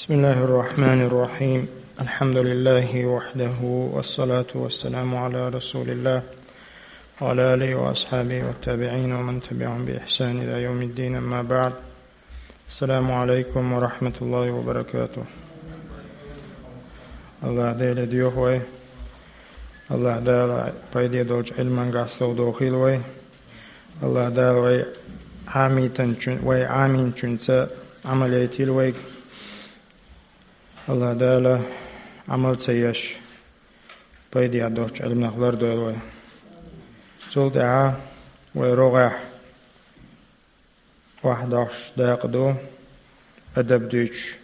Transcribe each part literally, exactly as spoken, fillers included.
بسم الله الرحمن الرحيم. الحمد لله وحده، والصلاة والسلام على رسول الله وعلى آله وأصحابه والتابعين ومن تبعهم بإحسان إلى يوم الدين، أما بعد. السلام عليكم ورحمة الله وبركاته. АллахӀ Даьла духьа вай. АллахӀ Дала пайде долчу Ӏилманга совдохийла вай. АллахӀ Дала вай Ӏамийтинчун-, вай Ӏамийначуьнца Ӏамал яйтийла вайга. АллахӀ Дала Ӏамал ца еш, пайде доцчу Ӏилманах лардойла вай. Цул тӀаьхьа вай рогӀехь охьадохуш дакъа ду, адаб дуьйцуш,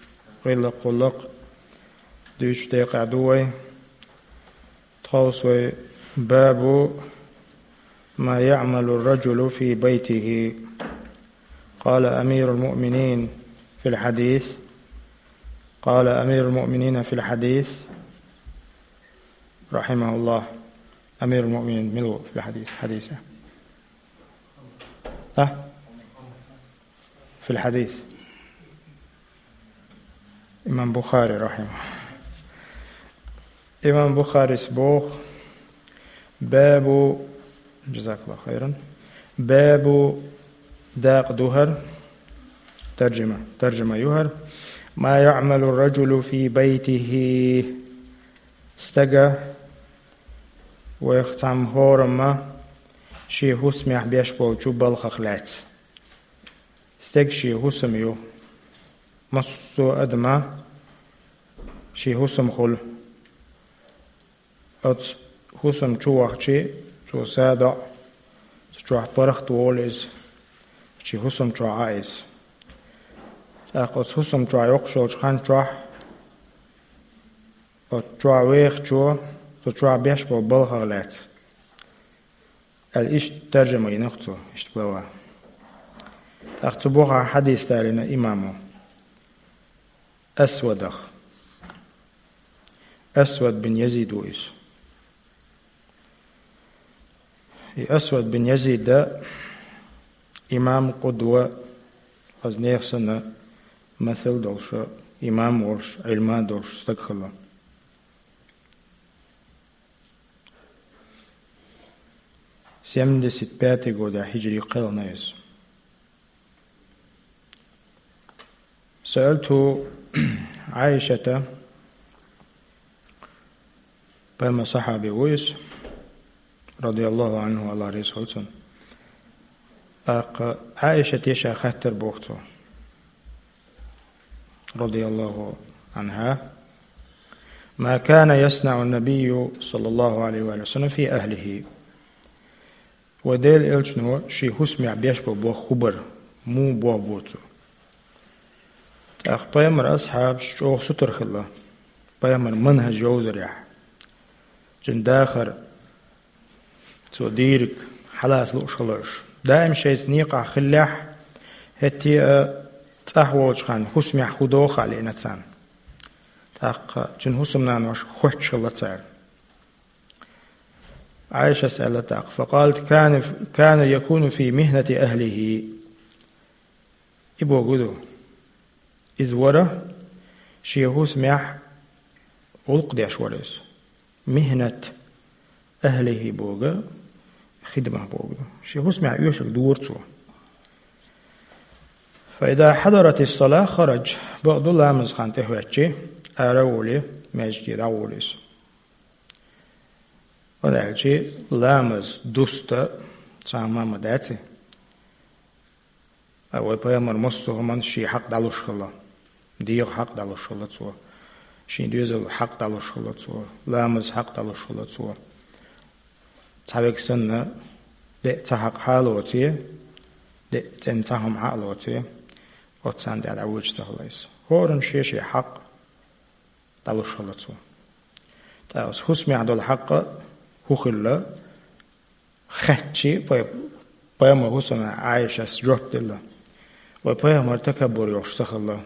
гӀиллакх-гӀуллакх дуьйцуш декъехь ду вай. Тховса вай: باب ما يعمل الرجل في بيته. قال أمير المؤمنين في الحديث. قال أمير المؤمنين في الحديث، رحمه الله. أمير المؤمنين мила ву في الحديث, хьадисехь? А? في الحديث. Имам Бухари, рахьимаху. Имам Бухарис боху: باب, جزاك الله خيرا, باب, дакъа ду хӀара, таржама, таржама ю хӀара, ما يعمل الرجل في بيته. Стага, вайх цхьамма хӀорамма, шен хӀусамехь беш болчу балхах лаьцна. Стеган шен хӀусам ю. Массо а адама шен хӀусам хуьлу. Оцу хӀусам чу вахча, цо са доӀу, цу чохь паргӀат волу иза, шен хӀусам чохь Ӏа иза. ТӀаккха оцу хӀусам чохь йоккхуш йолчу хан чохь, оцу чохь вехачо, цу чохь беш болу балхах лаьцна. Аьлла, иштта таржама йина-кх цо, иштта глава. ТӀаккха цу бухахь хьадис далийна имамо Асвадах. Асвад бин Язид ву иза. И Асвад бин Язид имам, къудва, хаза нехан санна масал долуш, имам волуш, Ӏилма долуш стаг хилла. Семьдесят пятый годехь хӀиджри кхелхина иза. سألت عائشة, пайхамаран сахьаби ву иза, رضي الله عنه, АллахӀ реза хуьлда цунна. ТӀаккха Ӏаишате ша хаттар боху цо, رضي الله عنها: ما كان يصنع النبي صلى الله عليه وسلم في أهله؟ Вайн Делан Элчано шен хӀусамехь беш болу болх хӀун бара, муха боху боху цо. ТӀаккха пайхамаран асхьабаш чӀогӀа сутара хилла пайхамаран манхӀаж йовзарехь, цуьнан дахар, цо дийриг хьалаца лууш хилла уьш. Даим шайца некъахь хиллехь, хӀетте а цӀахь волчу ханна хӀусамехь хӀун доху а лиъна царна. ТӀаккха цуьнан хӀусамнанош хоьттуш хилла цара. Ӏаишас аьлла тӀаккха: فقالت: كان، كان يكون في مهنة أهله. И бохург ду, иза вара шен хӀусамехь гӀуллакх деш вара иза. مهنة أهله бохург, хидма бохург ду. Шен хӀусамехь оьшург дора цо. فإذا حضرت الصلاة خرج, бакъду ламазан хан тӀехӀоьттича, ара а волий, маьждиге дӀаволу иза. ХӀунда аьлча ламаз дуста цхьа а ма дац и. Ткъа вайн пайхамаран массо а хӀуманна шен хьакъ дӀалуш хилла. ДегӀан хьакъ дӀалуш хилла цо. Шен доьзалан хьакъ дӀалуш хилла цо. Ламазан хьакъ дӀалуш хилла цо. Цхьа верг санна, деа цхьа хьакъ хьа а лоций, деа цӀена цхьа хӀума хьа а лоций, оццул тӀаьхьа дӀавоьдуш ца хилла иза. ХӀоранна шен-шен хьакъ дӀалуш хилла цо. Ткъа оцу хӀусамехь долу хьакъ хӀун хилла, хаьттича, пай-, пайхамаран хӀусамна Ӏаишас жоп делла: вайн пайхамар такаббур йолуш ца хилла,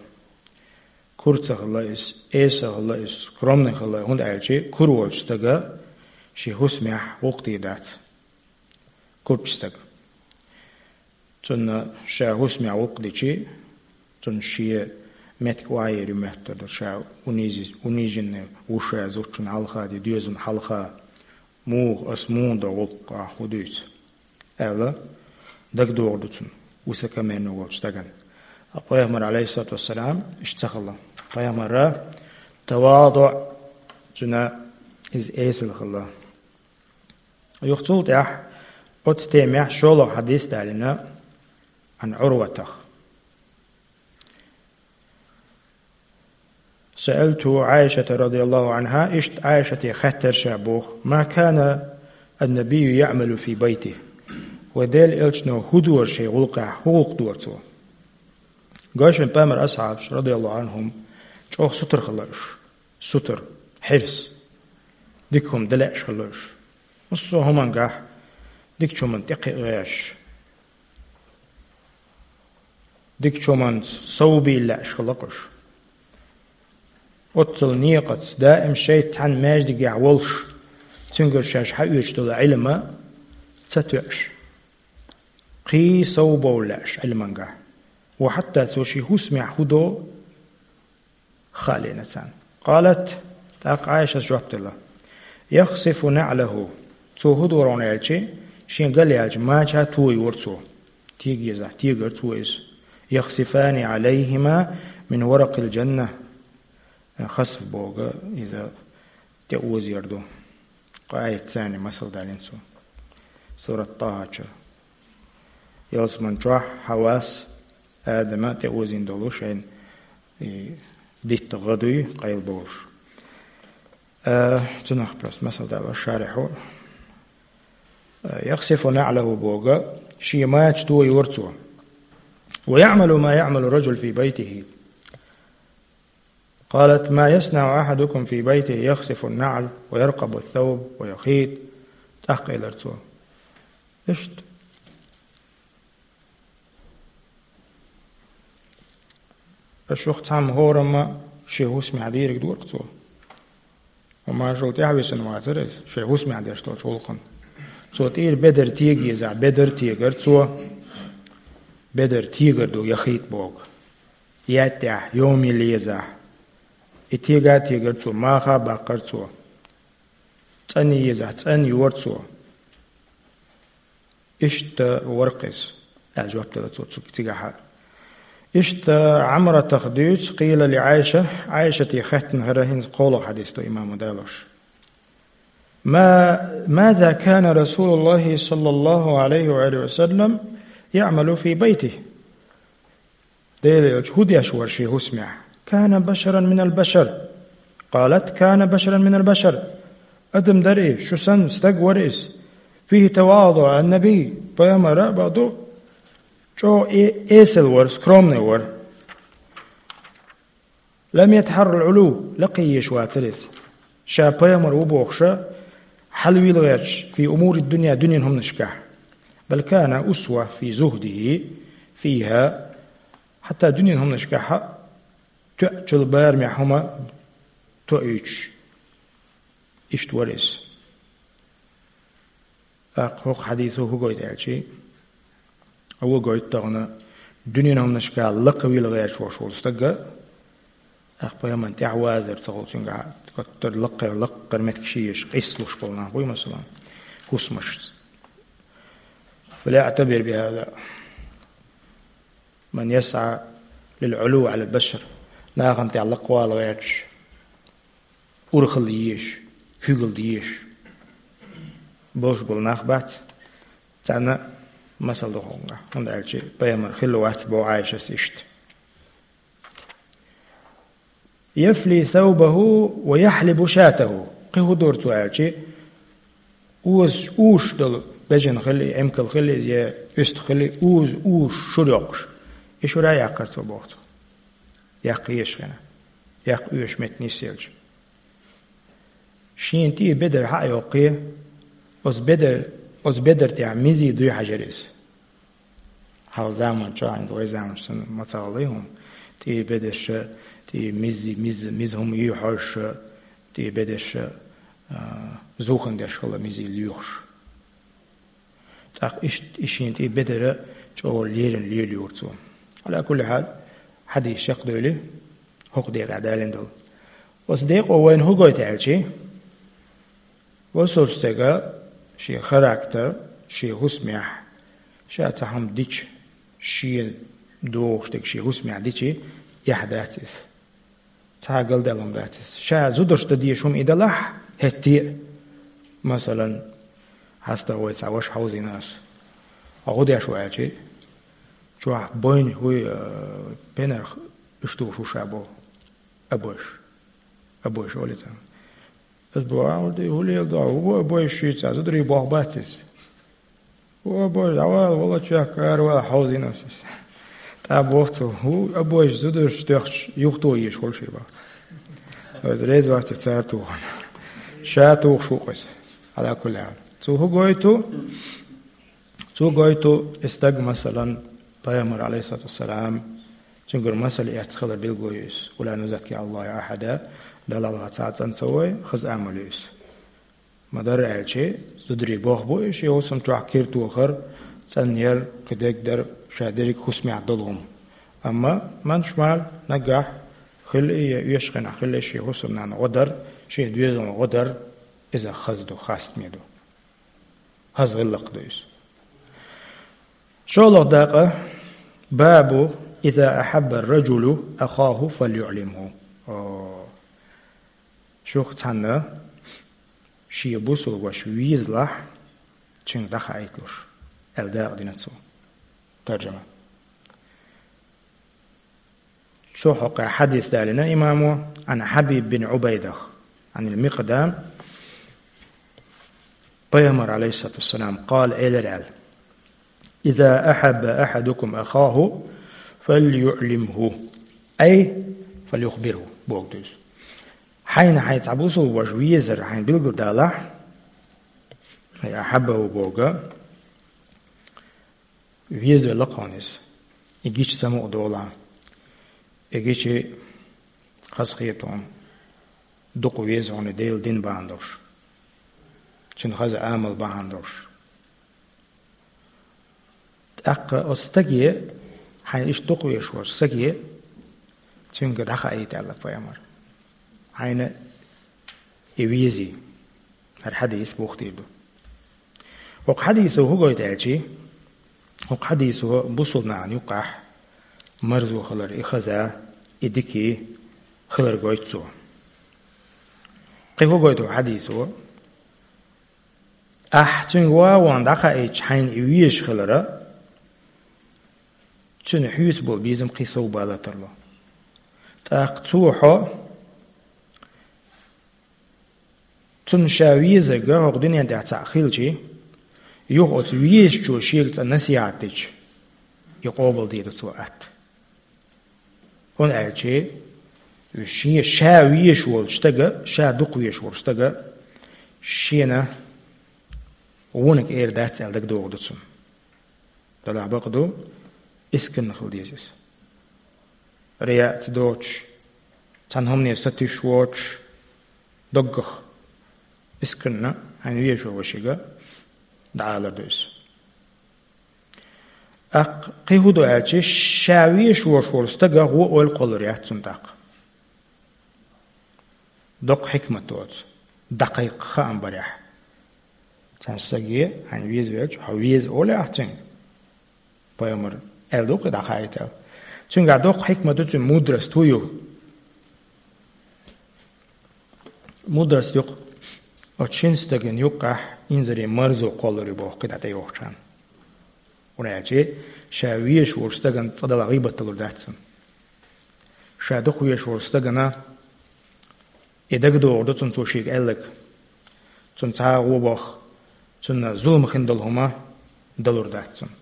кура ца хилла иза, эса ца хилла иза, скромный хилла, хӀунда аьлча кура волчу стага шен хӀусамехь гӀуллакх дийр дац. Курачу стага. Цунна ша хӀусамехь гӀуллакх дича, цунна шен меттиг охьаер ю моьттар ду, ша унизи-, униженный ву ша зудчун хьалха, де доьзалан хьалха, муха ас муха до гӀуллакх, хӀу дуьйцу, аьлла, дагадогӀур ду цунна, высокомерный волчу стагана. Ткъа пайхамар, алейхиссалату вассалам, иштта ца хилла. Пайхамара таваду, цуьнан иза эсала хилла. Юха цул тӀаьхьа оцу темехь шолгӀа хьадис далийна Ӏан Ӏурватах. سألت عائشة رضي الله عنها, иштта Ӏайшате хаьттира ша боху: ما كان النبي يعمل في بيته؟ Вай Делан элчано хӀун дора шен гӀуллакхехь, хӀун гӀуллакх дора цо? Гой шуна, пайхамар асхьабаш, радияллаху Ӏанхум, чӀогӀа сутара хилла уьш. Сутара, хьирс. Дика хӀума дан лаьаш хилла уьш. Массо а хӀумангахь дикачу хӀуманна тӀекхиа гӀерташ. Дикачу хӀуманца совбийла лаьаш хилла уьш. Оццул некъаца, даим шайца цхьаьна маьждигехь волуш, цуьнгара шаьш хьаоьцуш долу Ӏилма ца тоьуш. Кхин совбовла лаьаш Ӏилмангахь. Ва хьатта цо шен хӀусамехь хӀун до, хаалийна царна. قالت, тӀаккха Ӏайшас жоп делла: يخصف نعله, цо хӀун дора аьлча, шен галъяьллачу мача тояра цо. Тега езахь, тегара цо иза. يخصفان عليهما من ورق الجنة. Хасф боху иза тӀеозор ду. Кхин а царна масал далийна цо. Сурат ТӀахӀа чу. Ялсаман чохь Хьавас Адама тӀеозийна долу шайна и дитта гӀа дуй, къайлабовлуш. Э, цунах просто масал далош шарихьо. Э, يخصف نعله боху, шен мача тояра цо. ويعمل ما يعمل الرجل في بيته. قالت: ما يصنع أحدكم في بيته يخصف النعل ويرقب الثوب ويخيط. ТӀаккха элира цо: Иштта. Аша юха цхьамма хӀорамма шен хӀусамехь дийриг дора цо. Ва машалла тӀаьхьависина вацара иза, шен хӀусамехь деш долчу гӀуллакхана. Цо тӀера бедар тега езахь, бедар а тегара цо, бедар тегар ду, яхийта боху. Яьттехь, йома йилла езахь. И тега а тегара цо, маха а баккхара цо. ЦӀанъян езахь, цӀанъяра цо. Иштта вара-кх иза, аьлла жоп делла цо цу-, цигахь а. Иштта Ӏамратах дуьйцу, قيل لعائشة, Ӏайшате хаьттина хӀара, хӀинца кхоалгӀа хьадис ду имамо далош. ما، ماذا كان رسول الله صلى الله عليه وآله وسلم يعمل في بيته؟ Делан элча хӀун деш вара шен хӀусамехь? كان بشرا من البشر. قالت: كان بشرا من البشر. Адам дара и, шу санна стаг вара иза. فيه تواضع النبي. Пайхамар а бакъду, чӀогӀа э-, эсала вара, скромный вара. لم يتحر العلو, лакхе езаш вацара иза. Ша пайхамар ву бохуша, хьалавийла гӀерташ, في أمور الدنيا, дуьненан хӀуманашкахь. بل كان أسوة في زهده فيها, хьатта дуьненан хӀуманашкахь а тоьачул барамехь хӀума тоуьйтуш. Иштта вара иза. ТӀаккха хӀокху хьадисо хӀун гойту аьлчи, хӀун гойту тахана дуьненан хӀуманашкахь лакхавийла гӀерташ волуш волу стаг а, тӀаккха пайхамарна тӀаьхьавазар ца хуьлу цуьнгахь, коттара лаккхара, лаккхара меттиг ши еш, къийсалуш болу нах буй, масала, хӀусамашца. فليعتبر بهذا من يسعى للعلو على البشر. Нахана тӀехь лакхавала гӀерташ, урхалла езаш, куьйгалла дезаш болуш болу нах бац. Царна масал ду хӀокхунгахь, хӀунда аьлча пайхамар хилла вац боху Ӏайшас иштта. يفلي ثوبه ويحلب شاته. Кхин хӀун дора цо аьлчи, оза уьш долу бежана хили, эмкал хили, я уьстах хили, оза уьш шура йоккхуш. И шура яккхара цо боху цо. Яккха езаш хина. Яккха оьшу метта нисъелча. Шена тӀе бедар хьа а йоккхий, оцу бедар, оцу бедар тӀехь мизи дуй хьажар иза. Хьалха заманчохь, хӀинца вай заманчохь санна ма ца гӀалгӀай хӀума. ТӀе бедарша, тӀе мизи, миз-, миза хӀума юй хьожуша, тӀе бедарша, а, зухан деш хилла мизи лоьхуш. ТӀаккха иштта и шена тӀе бедара чӀогӀа лерина лелайора цо. Ала кулли хьал, хьадис чекхдойли, ХӀокху декъехь далийна долу. Оцу декъо вайна хӀун гойту аьлчи, бусалба стага шен характер, шен хӀусамехь, ша цхьа хӀума дича, шен догӀуш дерг шен хӀусамехь дичи, эхь дац иза. Цхьа а галдаьлла хӀума дац иза. Ша зударшна дан дезаш хӀума и далахь, хӀетте а. Масалан, хьаста вай цхьа ваша хьовзийна ас. Хьо хӀун деш ву аьлчи, чохь бойна хӀуй, а, пенарх уьш тухуш ву ша боху. Абойш. Абойш олий царна. Ас боху, а, хӀун де, хӀун леладо, хӀун бу абойш шуьйца, зударий боху бац иза. О, боже, дӀавала, волочух кара вала хьовзийна ас иза. ТӀаккха боху цо, хӀу, а, боже, зударшна тоьхча, юха тухуш волуш и боху. Оцу реза вац цара тухуш. Ша тухуш ву-кх иза. Ӏала кулли хьал. Цо хӀун гойту? Цо гойту, и стаг, масалан, пайхамар, алейхиссалату вассалам, цуьнгара масал эцна хилар билгало ю иза. Ва ла нузакки Аллаха ахьада, Далла гӀалгӀа цхьа а цӀан ца вой, хаза амал ю иза. Ма-дарра аьлчи, зударий боху бу и, шен хӀусам чохь кира тохар, цӀанъяр, кхин дерг дар, ша дерриг хӀусамехь долу хӀума. Амма манаш мара наггахь хилла и, я оьшучу хенахь хилла и шен хӀусамнана гӀо дар, шен доьзална гӀо дар, иза хаза ду, хастаме ду. Хаза гӀиллакх ду иза. ШолгӀа дакъа, бабу, иза ахьабба ар-раджулу ахаху фальюӀлимху. О. Шух цхьанна шен бусулба ваша везалахь, цуьнга дӀахаийталуш, аьлла дакъа дина цо. Таржама. Цо хьокъехь хьадис далийна имамо, Ӏан Хьабиб бин Ӏубайдах, Ӏанил Микъдам, пайхамар, алейхиссалату вассалам, къала, элира аьлла: «Иза ахьабба ахьадукум ахаху, фальюӀлимху, ай, фальюхбирху», боху дуьйцу. Хьайна хьайн цхьа бусулба ваша везар хьайна билгалдалахь, ай, ахьаббаху боху, везавелла хьуна иза. И гича самукъа долахь. И гича хазахета хьуна. Дукха веза хьуна Делан дин бахьана долуш. Цуьнан хаза амал бахьана долуш. ТӀаккха оцу стаге, хьайна иштта дукха везаш волчу стаге, цуьнга дӀахаийта аьлла пайхамар. Хьайна и везий. ХӀара хьадис бухтийр ду. ХӀокху хьадисо хӀун гойту аьлчи? ХӀокху хьадисо бусулба нахана юккъахь марзо хилар и хаза, и дикий хилар гойту цо. Кхин хӀун гойту хьадисо? Ахь цуьнга ван-ван дӀахаийча хьайна и везаш хилара, цуьнан хьоьца болу безам кхин сов бала тарло. ТӀаккха цо хьо Цунна ша везарг хӀокху дуьнен тӀехь цхьаъ хилчи, юха оцу везачо шега цкъа насихьат дича, и къобалдийр ду цо атта. ХӀунда аьлча, шен ша везаш волчу стага, ша дукха везаш волчу стага, шена вониг эр дац аьлла дагадогӀу ду цунна. Делахь бакъ ду, искренне хила деза иза. Рияъ ца доцуш, цхьана хӀумане сатуьйсуш воцуш, доггах, искренне, хьайна везачу вашига дӀаалар ду иза. ТӀаккха кхин хӀун ду аьлча, ша везаш волуш волу стага гӀо ойла кхоллар яц цунна тӀаккха. Доккха хьикмат доцу, дӀакхайкха хаам барехь. Цхьана стаге, хьайна везавелча, хьо веза олий ахь цуьнга? Пайхамар аьлла ду-кх и дӀахаийта аьлла. Цуьнгахь доккха хьикмат ду, цуьнан мудрость хӀун ю? Мудрость ю-кх, оцу шина стагана юккъахь инзаре марзо кхоллар ю боху кхидӀа тӀейогӀучхьана. ХӀунда аьлча ша везаш волчу стагана цкъа далахь гӀийбат далур дац цунна. Ша дукха везаш волчу стагана и дагадогӀур ду цунна цо шега аьлларг. Цунна цхьа а гӀо боху, цунна зулам хин долу хӀума далур дац цунна.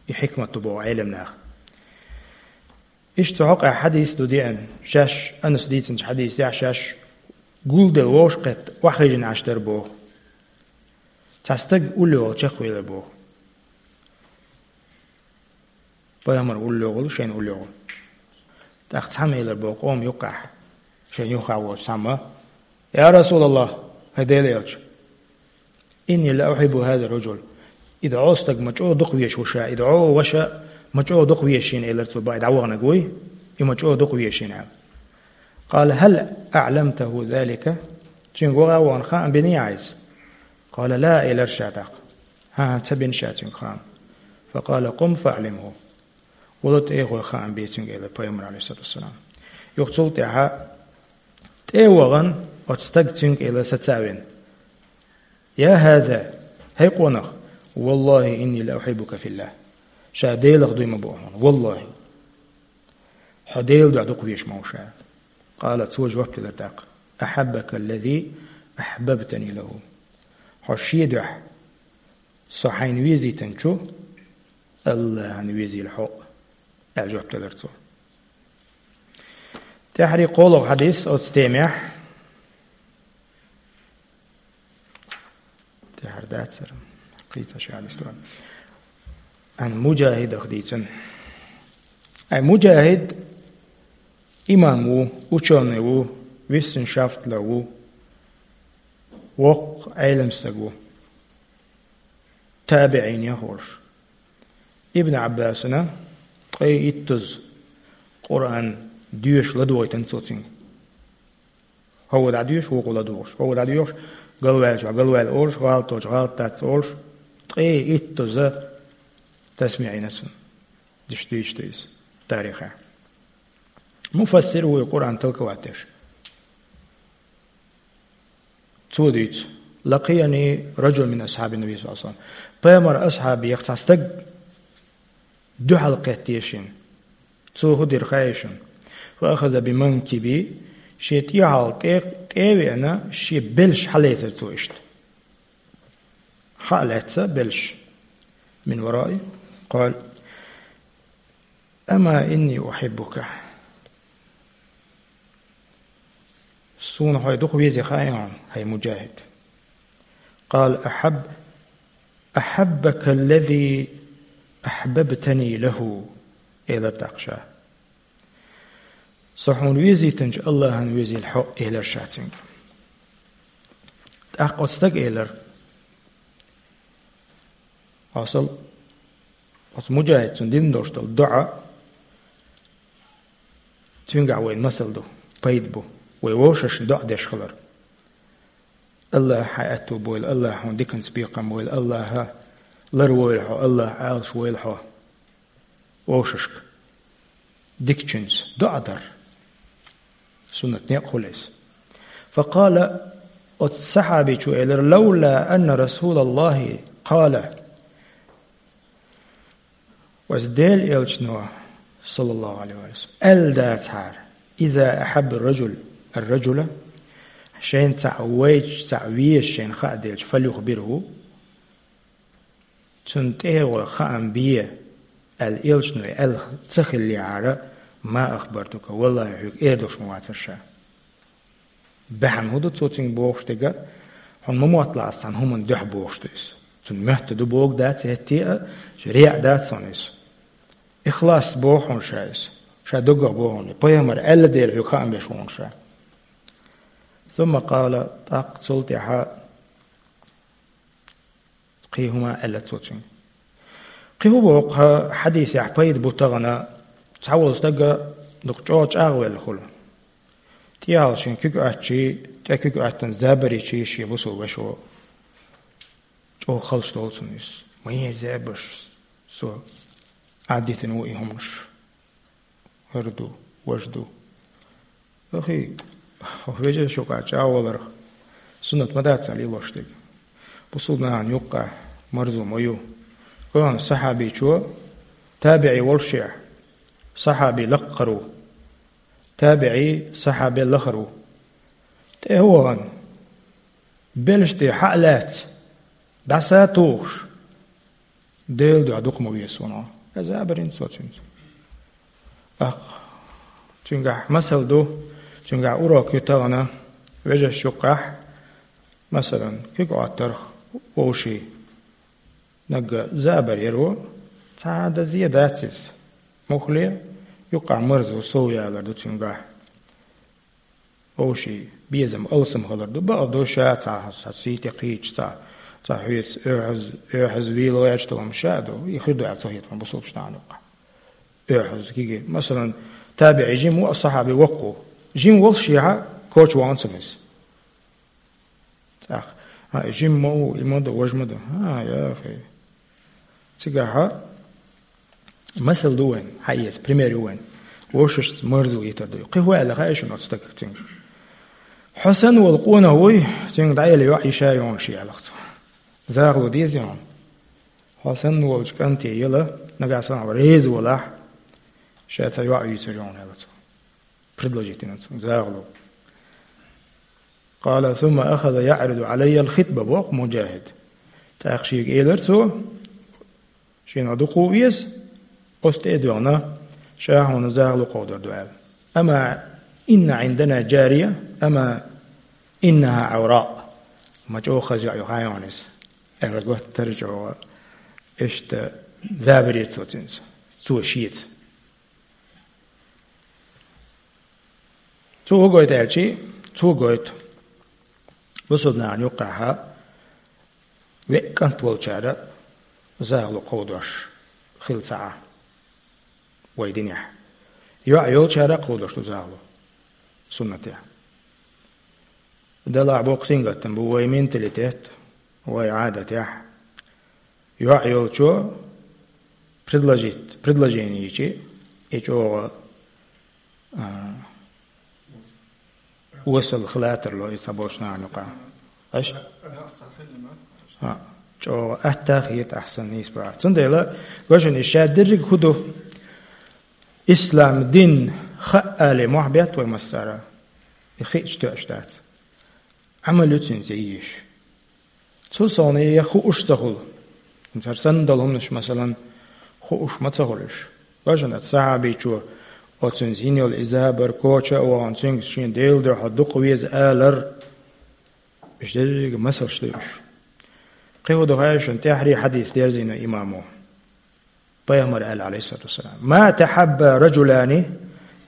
И хьикмат ду боху Ӏеламнаха. Иштта цу хьокъехь хьадис ду деана, шаьш Анас дийцинчу хьадисехь шаьш гулделла вовшахкхетта охьахевшина Ӏаш дара боху. Цхьа стаг уллохула чекхвелира боху. Пайхамар уллохула, шайна уллохула. ТӀаккха цхьамма элира боху къоман юккъехь, шайна юххехь воцу цхьамма: «Я Расулаллах, хӀай Делан элча, инни ла ухьиббу хӀаза раджул». И дӀо стаг ма чӀогӀа дукха везаш ву ша, и дӀо ваша ма чӀогӀа дукха везаш йина, элира цо, бакъ и дӀаваханарг вуй, и ма чӀогӀа дукха везаш йина аьлла. قال: هل أعلمته ذلك؟ Цуьнга ваха а вахана хаам бинийий хьайса? قال: لا, элира ша тӀаккха. ХӀан-хӀа, ца бина ша цуьнга хаам. فقال: قم فأعلمه. Вала тӀе а гӀой, хаам бе цуьнга, элира пайхамара, عليه الصلاة والسلام. Юха цул тӀаьхьа тӀе а вахана, оцу стага цуьнга элира сацавина: يا هذا, хӀей къонах, والله إني لأحبك في الله. Ша Делах дуй ма бу хьуна, валлахӀи. Хьо Делан дуьхьа дукха везаш ма ву ша. قال, цо жоп делира тӀаккха: أحبك الذي أحببتني له. Хьо шен дуьхьа со хьайна везийтинчу АллахӀана везийла хьо, аьлла жоп делира цо. ТӀаьххьара кхоалгӀа хьадис оцу темехь. ТӀаьххьара дацара. Кхийца ши хьадис ду. Ан Муджахидах дийцина. Ай, Муджахид имам ву, учёный ву, виссеншафтлер ву, воккха Ӏелам стаг ву. ТабиӀинех волуш. Ибн Ӏаббасана ткъе иттаза Къуръан доьшуш ладогӀийтина цо цуьнга. ХӀокхо дӀадоьшу, вукхо ладугӀуш. ХӀокхо дӀадоьхуш, галваьллачохь галваьлла олуш, гӀалат долчохь гӀалат дац олуш, ткъе иттаза тасмиӀ йина цунна. Диш дуьйцуш ду иза тарихехь. Муфассир ву и Къуръан толковать деш. Цо дуьйцу: لقيني رجل من أصحاب النبي صلى الله عليه وسلم. Пайхамаран асхьабех цхьа стаг дуьхьал кхеттера шена. Цо хӀун дира хаьий шуна? فأخذ بمنكبي, шен тӀехьал тӀе, тӀе а веана, шен белш хьалецира цо иштта. Хьа а лаьцна белш. من ورائي. قال: أما إني أحبك. Суна хьо дукха везий хаьий хьуна, хӀай Муджахид? قال: أحب، أحبك الذي أحببتني له, элира тӀаккха ша. Со хьуна везийтинчу АллахӀана везийла хьо, элира ша цуьнга. ТӀаккха оцу стага элира. Хьо сал, оцу Муджахид цунна дина долуш долу доӀа, цуьнгахь вайна масал ду, пайда бу, вай вовшашна доӀа деш хилар. АллахӀа хьайн аьтту бойла, АллахӀа хьуна диканца бекхам бойла, АллахӀа ларвойла хьо, АллахӀа Ӏалаш войла хьо. Вовшашка дикачуьнца доӀа дар. Суннат некъ хуьлу иза. فقال, оцу сахьабичо элира: لولا أن رسول الله قال. Вайца Делан элчано, саллаллаху Ӏалайхи ва саллам, аьлла дацахьара: إذا أحب الرجل الرجل, шайна цхьаъ вайча, цхьаъ веза шайна хаа делча, فليخبره, цунна тӀе а гӀой, хаам бе, аьлла, элчано аьлла ца хиллехьара, ما أخبرتك, валлахӀи, хьоьга эр долуш ма вацара ша. Бахьана хӀун ду цо цуьнга бохуш дерг? Хьуна ма мотталахь ас цхьана хӀуманна дуьхьа бохуш ду иза. Цунна моьтту ду бохург дац хӀетте а, реа дац хьуна иза. Ихлас боху хьуна ша иза. Ша доггах боху хьуна. Пайхамара аьлла дела хьоьга хаам беш ву хьуна ша. ثم قال, тӀаккха цул тӀаьхьа кхин хӀума аьлла цо цуьнга. Кхин хӀун боху хьадисехь пайда бу тахана, цхьаволу стаг дукха чӀогӀа чӀагӀвелла хуьлу. ТӀехьал шен куьг оьттича, тӀе куьг оьттина забар йича шен бусулба вашас чӀогӀа халчу долу цунна иза. Ма еза забарш, со Ӏаддитина ву и хӀуманаш. ХӀара ду, важа ду. Ахи, хьо вежарша юкъахь чӀагӀваларх суннат ма дац цхьа лелош дерг. Бусулба нахана юккъехь марзо ма ю. Кхуьнан сахьабичо, табиӀи волушехь, сахьаби лакхара ву. ТабиӀи сахьабел лахара ву. ТӀе а вахана, белш тӀе хьа а лаьцна, дӀаса а тухуш, Делан дуьхьа дукха ма веза суна хьо. Аса а барина цо цуьнца. ТӀаккха цуьнгахь масал ду, цуьнгахь урок ю тахана, вежарша юккъехь, масалан, куьг Ӏоттарх вовшийн. Нагга забар яр ву, цхьа а дан зе дац иза. Муххале, юккъехь марзо сов ялар ду цуьнгахь. Вовшийн безам алсам хилар ду, бакъ ду ша цхьа, цхьа сий тӀе кхийча, цхьа, цхьа хьоьца оьхьаз-, оьхьаз вийла гӀерташ долу хӀума ша а ду, и хир ду аьлла ца хета хьуна бусулба нахана юккъехь. Оьхьаз киге. Масалан, табиӀи жима ву, а сахьаби воккха ву. Жима волуш шехьа коча вахана цунна иза. ТӀаккха: «А, и жима ма ву, и ма ду, важа ма ду». А, яхи. Цигахьа масал ду вайн, хьаэца, пример ю вайн. Вовшашца марзо йитар ду. Кхин хӀун аьлла хаьий шуна оцу стага цуьнга? «Хьо санна волу къонах вуй, цуьнга дӀаэла йоӀ йиша йогӀуш», аьлла цо. «Захало дезий хьуна? Хьо санна волчу кӀанте яла, нагахь санна хьо реза валахь, ша цхьа йоӀ йийцар йогӀуна», аьлла цо. Предложить йина цо, захало. «Къала сумма ахаза яӀриду Ӏалайя ал-хитба», боху Муджахид. ТӀаккха шега элира цо, шена дукха веза, оцу тӀе а доьгӀна, ша хьуна захало кховдор ду аьлла. «Ама инна Ӏиндана джария, ама иннаха Ӏавра». Ма чӀогӀа хаза йоӀ ю хьуна иза. Ара готтара чӀогӀа. Иштта забаре цо цуьнца. Цо шеца. Цо хӀун гойту аьлчи, цо гойту. Бусулба нахана юккъехьа веа кӀант волчара захало кховдош хила ца Ӏа вай динехь. ЙоӀ йолчара а кховдош ду захало суннатехь. Делахь боккха сингаттам бу вай менталитет, вай Ӏадатехь. ЙоӀ йолчо предложить, предложение йичи, и чӀогӀа, а, осал хила тарло и цхьаболчу нахана юкъа. Аш? А, чӀогӀа атта а хета ахь санна нийса бахьа. Цундела, важа и ша дерриг хӀун ду? Ислам дин хаъ алий мохь бетта вай массара? И хиъча тоьаш дац. Ӏамал ю цуьнца еш. Цу сов я хууш ца хуьлу. ХӀара санна долу хӀуманаш, масалан, хууш ма ца хуьлу уьш. Бажана сахьабичо оцуьнца йина йолу и забар коча а вахана, цуьнга шен Делан дуьхьа дукха веза алар. Уьш дерриге масалш ду уьш. Кхин хӀун ду хаьий шуна, тӀаьххьара хьадис дерзийна имамо. Пайхамар аьлла, Ӏалайхиссалату вассалам: «Ма тахьабба раджулани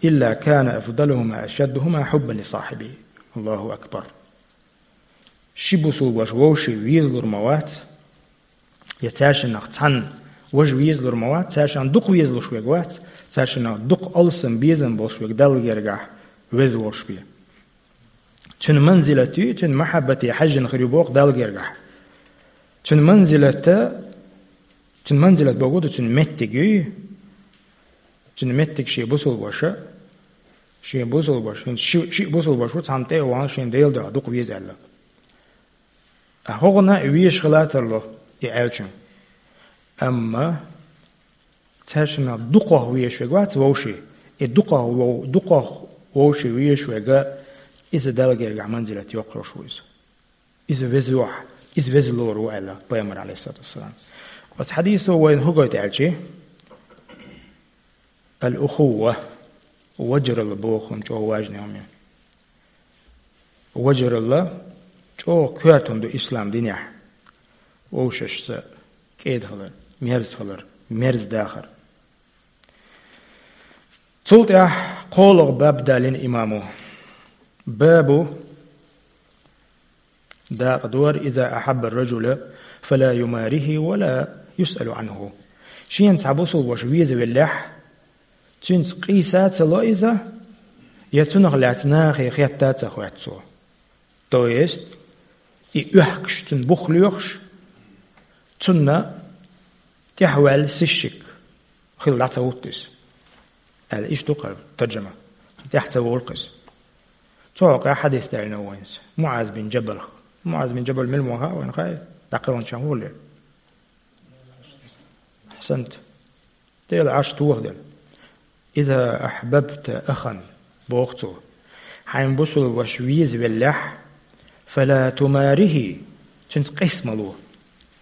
илла кана афдалухума ашаддухума хьуббан ли сахьибихи». Аллаху акбар. Ши бусулба ваша вовшийн везалур ма вац, я цаьршиннах цхьанна важа везалур ма вац, цаьршиннах дукха везалуш верг вац, цаьршиннах дукха алсам безам болуш верг Далла гергахь веза волуш бен. Цуьнан манзилат ю, цуьнан махьаббате хьаьжжина хир ю боху Далла гергахь. Цуьнан манзилата, цуьнан манзилат бохург ду, цуьнан меттиг ю. Цуьнан меттиг шен бусулба ваша, шен бусулба ваша, шен ши, шиъ бусулба ваша ву, цхьанна тӀе а вахана, шен Делан дуьхьа дукха веза аьлла. А хӀокхунна а везаш хила тарло и аьллачун. Амма цаьршиннах дукхах везаш верг вац вовшийн. И дукхах вов-, дукхах вовшийн везаш верг, иза Далла гергахь манзилат йоккхуш ву иза. Иза веза ву, иза везалур ву аьлла Пайхамар, Ӏалайхиссалату вассалам. Оцу хьадисо вайна хӀун гойту аьлчи? Ал-ухувва, вежаралла боху хӀума чӀогӀа важный хӀума ю. Вежаралла чӀогӀа коьрта хӀума ду ислам динехь. Вовшашца кӀеда хилар, мерза хилар, мерза дахар. Цул тӀаьхьа кхоалгӀа баб далийна имамо. Бабу, дакъа дора: «Иза ахьабба ар-раджула, фала юмарихи ва ла юсъалу Ӏанху». Шена цхьа бусулба ваша везавеллехь, цуьнца къийса а ца ло иза, я цунах лаьцна нахе хетта а ца хоьтту цо. То есть, и оьхкуш, цуьнан бух лоьхуш, цунна тӀаьхьаваьлла сыщик хилла дӀа ца хӀутту иза. Аьлла, иштта ду кхара таржама. ТӀаьхьа ца волу иза. Цу хьокъехь хьадис даьлла вайна иза. МуӀаз бин Джабалах. МуӀаз бин Джабал мила ву хаьа вайна, хаьий? ДӀакхелхинчарна хӀун хилла? Ахьсант. Делан Ӏарш тохаделла. «Иза ахьбабта ахан», боху цо. Хьайн бусулба ваша везавеллехь, «фала тумарихи», цуьнца къийса ма ло.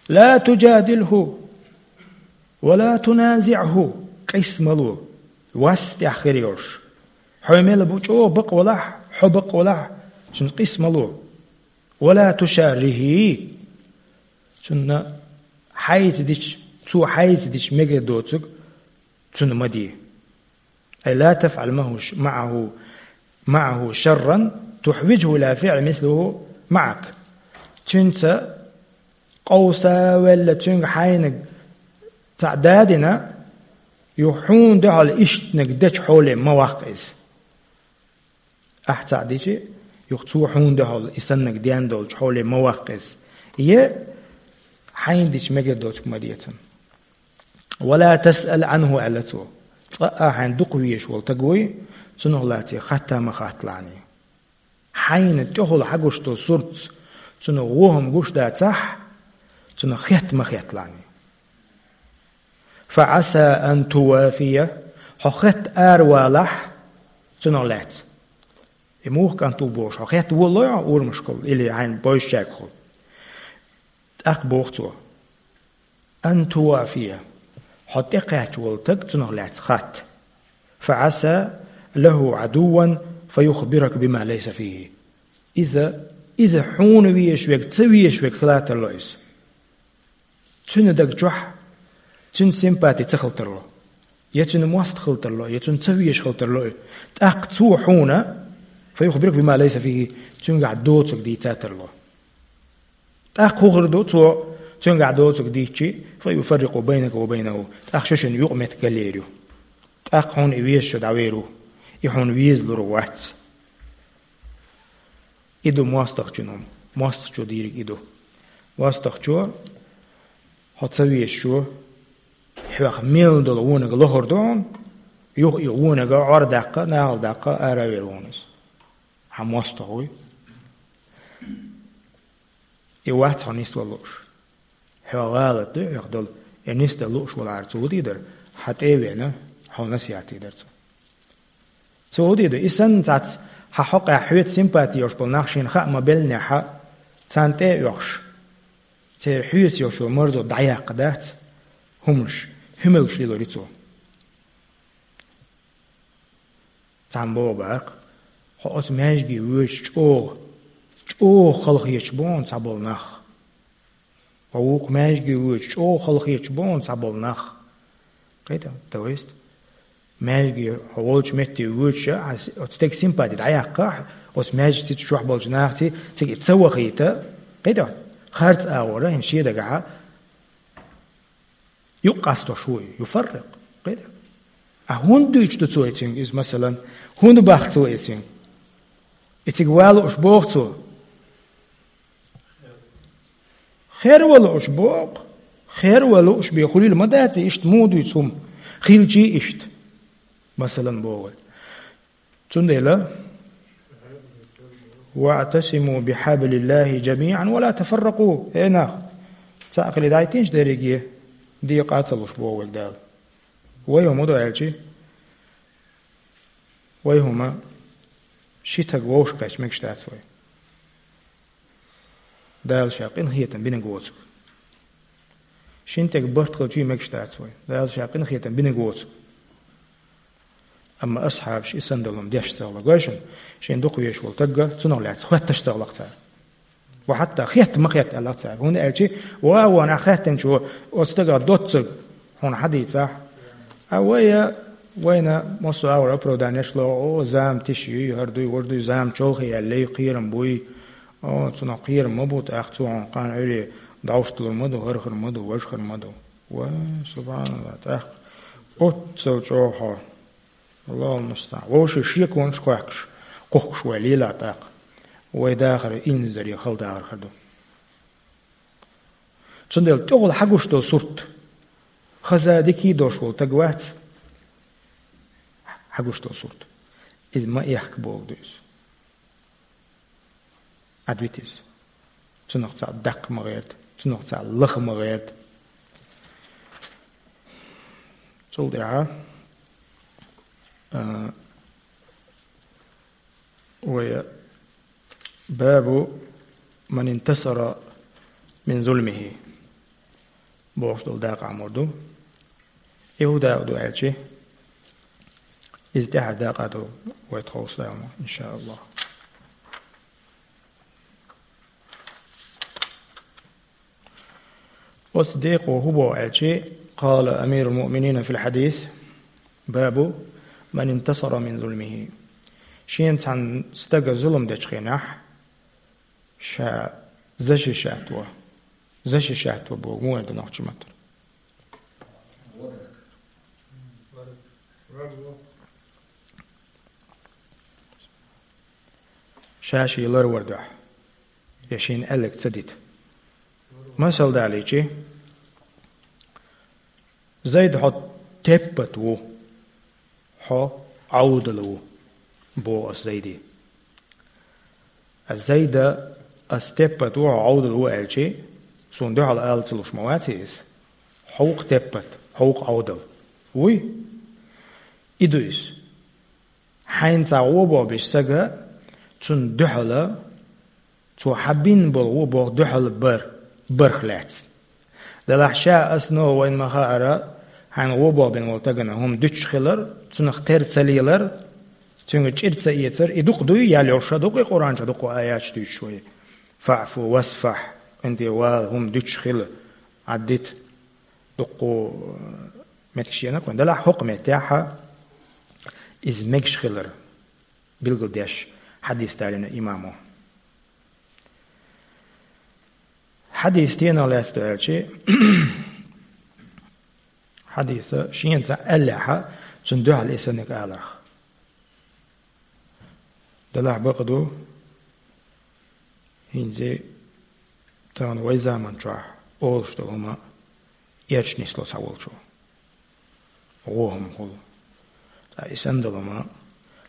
«Ла туджадилху, ва ла туназиӀху», къийса ма ло. Вас тӀехь хир йолуш. Хьо мел бу чӀогӀа бакъ валахь, хьо бакъ валахь, цуьнца къийса ма ло. «Ва ла тушаррихи», цунна хьайца дича, цо хьайца дича мегар доцург цунна ма де. Ай ла тафӀал маху ш-, маӀаху, маӀаху шарран тухьвиджху ила фиӀли мислиху маӀак. Цуьнца къовса а велла, цуьнга хьайниг цхьаъ дадина, юха хьуна дуьхьал ишттаниг дечу хьоле ма ваккха иза. Ахь цхьаъ дичи, юха цо хьуна дуьхьал и саннарг ден долчу хьоле ма ваккха иза. Е хьайна дича мегар доцург ма де цунна. «Ва ла тасъал Ӏанху», аьлла цо. Цкъа а хьайна дукха везаш волу стаг вуй, цунах лаций хатта ма хатталахь. Хьайна тӀехула хьагуш долу суртца цунах вон хӀума гуш дацахь, цунах хатта ма хатталахь. «Фа Ӏаса ан тувафия», хьо хатта аравалахь цунах лаьцна. И муха кӀант ву бохуш, хьо хатта волалой хьо урамашкахула или хьайна бевзачаьргахула. ТӀаккха боху цо: «Ан тувафия», хьо тӀекхаьчна волу стаг цунах лаьцна хатта. «Фа Ӏаса лаху Ӏадувван фа юхбирак бима лайса фихи». Иза, иза хьуна везаш верг, ца везаш верг хила тарло иза. Цуьнан даг чохь цуьнан симпати ца хила тарло, я цуьнан мостагӀ хила тарло, я цунна ца везаш хила тарло и. ТӀаккха цо хьуна, «фа юхбирак бима лайса фихи», цуьнгахь доцург дийца тарло. ТӀаккха хӀун хир ду, цо цуьнгахь доцург дийцчи, «фа юфаррикъу байнака ва байнаху», тӀаккха шун-шун юкъаметтиг галъер ю. ТӀаккха хьуна и везаш дӀавер ву, и хьуна везалур вац. И ду мостагӀчун хӀума, мостагӀчо дийриг и ду. МостагӀчо, хьо ца везаш ву, хьох мел долу вониг лохур ду хьуна, юха и вониг Ӏор даккха, нахала даккха, ара а вер ву хьуна иза. Хьан мостагӀа вуй? И вац хьо нисвала лууш. Хьо гӀалат ду хьох долу, и нисдан лууш валахьара цо хӀун дийр дара, хьан тӀе а веана, хьо насихьат дийр дара цо. Цо хӀун дийр ду, и санна цхьацца хьан хьокъехь хьоьца симпати йолуш болу нах шена хаа ма-беллинехь, царна тӀе а оьхуш, церан хьоьца йолчу марзо дӀаяккха дац, хӀуманаш, хӀуьмалгаш лелор ю цо. Цхьамма боху бакъ, хьо оцу маьждиге воьдуш чӀогӀа, чӀогӀа халахеташ бу хьуна цхьаболу нах. Хьо вукху маьждиге воьдуш чӀогӀа халахеташ бу хьуна цхьаболу нах. Кхета, то есть, маьждиге хьо волчу метте воьдуш а, оцу стеган симпати дӀаяккха, оцу маьждиге чохь болчу нахаца цига и ца вахийта, кхета, харц агӀора, хӀинца шен дагахь а, юкъ къастош ву и, юфаррикъ. Кхета. А хӀунда дуьйцуш ду цо и цуьнга иза, масалан? ХӀунда боху цо и цуьнга? И цига ван лууш боху цо? Хер ван лууш боху. Хер ван лууш бен хуьлийла ма дац и, иштта муха дуьйцу хӀума? Хилчий иштта, масалан, боху вай. Цундела: «ВаӀтасиму бихьаблиллахи жамиӀан ва ла тафарракъу». Хье нах, цхьаъ хилий дӀайтинчу дерриге, декъа а ца луш, боху вайга Дала. Вай хӀума ду аьлчи, вай хӀума ши таг вовшахкхетча мегаш дац вай. Дала Ша къинхетам бинарг воцург. Шина тӀе барт хилчий мегаш дац вай. Дала Ша къинхетам бинарг воцург. Амма асхьабаш и санна долу хӀума деш ца хилла гой шуна, шен дукха везаш волу стагга, цунах лаьцна хоьтташ ца хилла цара. Ва хьатта хетта ма хетта аьлла цара. ХӀунда аьлча, ва, вон ахь хеттанчо оцу стагах доццург хьуна хьадийцахь, а вай, вайна массо а агӀор оправданеш ло, о, зама тиша юй, хӀара дуй, вара дуй, зама чолхе яьллий, кхерам буй, о, цунах кхерам ма бу, тӀаккха цо хьуна кхана Ӏуьйре дӀовш далур ма ду, хӀара хир ма ду, важа хир ма ду. Ва, субханалла, тӀаккха оццал чӀогӀа хьо. Аллахул мустаӀан. Вовшийн шеконаш кхоьхкуш, кхухкуш вай лела тӀаккха. Вай дахар инзаре хала дахар хир ду. Цундела тӀехула хьагуш долу сурт, хаза дика а долуш волу стаг вац, хьагуш долу сурт. Иза ма эхка бохург ду иза. Ӏадвита иза. Цунах цхьаъ даккха ма гӀерта, цунах цхьаъ лаха ма гӀерта. Цул тӀаьхьа, а, вай бабу ман интасара мин зулмихи бохуш долу дакъа Ӏамор ду. И хӀун дакъа ду аьлчи, иза тӀаьхьара дакъа ду вай тховса, иншааллахӀ. Оцу декъо хӀун боху аьлчи, къала амирул муъминина фил хьадис, бабу ман интасара мин зулмихи. Шена цхьана стага зулам дечу хенахь, ша защищать во. Защищать во боху, муха ду нохчийн маттара? Ша ший ларвар дуьхьа, я шийна аьлларг ца дита. Масал далийчи, Зайд, хьо теппат ву, хьо Ӏовдал ву, боху ас Зайде. Ас Зайда, ас теппат ву, хьо Ӏовдал ву аьлчи, суна дуьхьал ала ца луш ма ваций иза? Хьо ву-кх теппат, хьо ву-кх Ӏовдал. Вуй? И ду иза. Хьайна цхьа гӀо боху беш сага, цунна дуьхьала, цо хьан бин болу гӀо боху дуьхьала бар, барх лаьцна. Делахь ша, ас, но вайна ма хаара, хьайна гӀо боху бина волу тагана хӀума дуьтуш хилар, цунах тера ца лелар, цуьнга чӀир ца эцар, и дукха дуй, ял йолуш а дукха, и Къуръан чу дукха аяташ дуьйцуш вай. «ФаӀфу васфахь», къинтӀе вала, хӀума дуьтуш хила, Ӏаддита. Дуккха, э, меттигаш енарг вайн. Делахь хӀокху меттехь иза мегаш хилар билгалдеш хьадис далийна имамо. Хьадис стенах лаьцна ду аьлчи, хьадиса шена цхьаъ аьллехьа, цунна дуьхьал и санниг аларх. Делахь бакъ ду, хӀинца тахана вай заман чохь олуш долу хӀума эрча нисло цхьаволчо. ГӀо хӀума хуьлу. Ткъа и санна долу хӀума,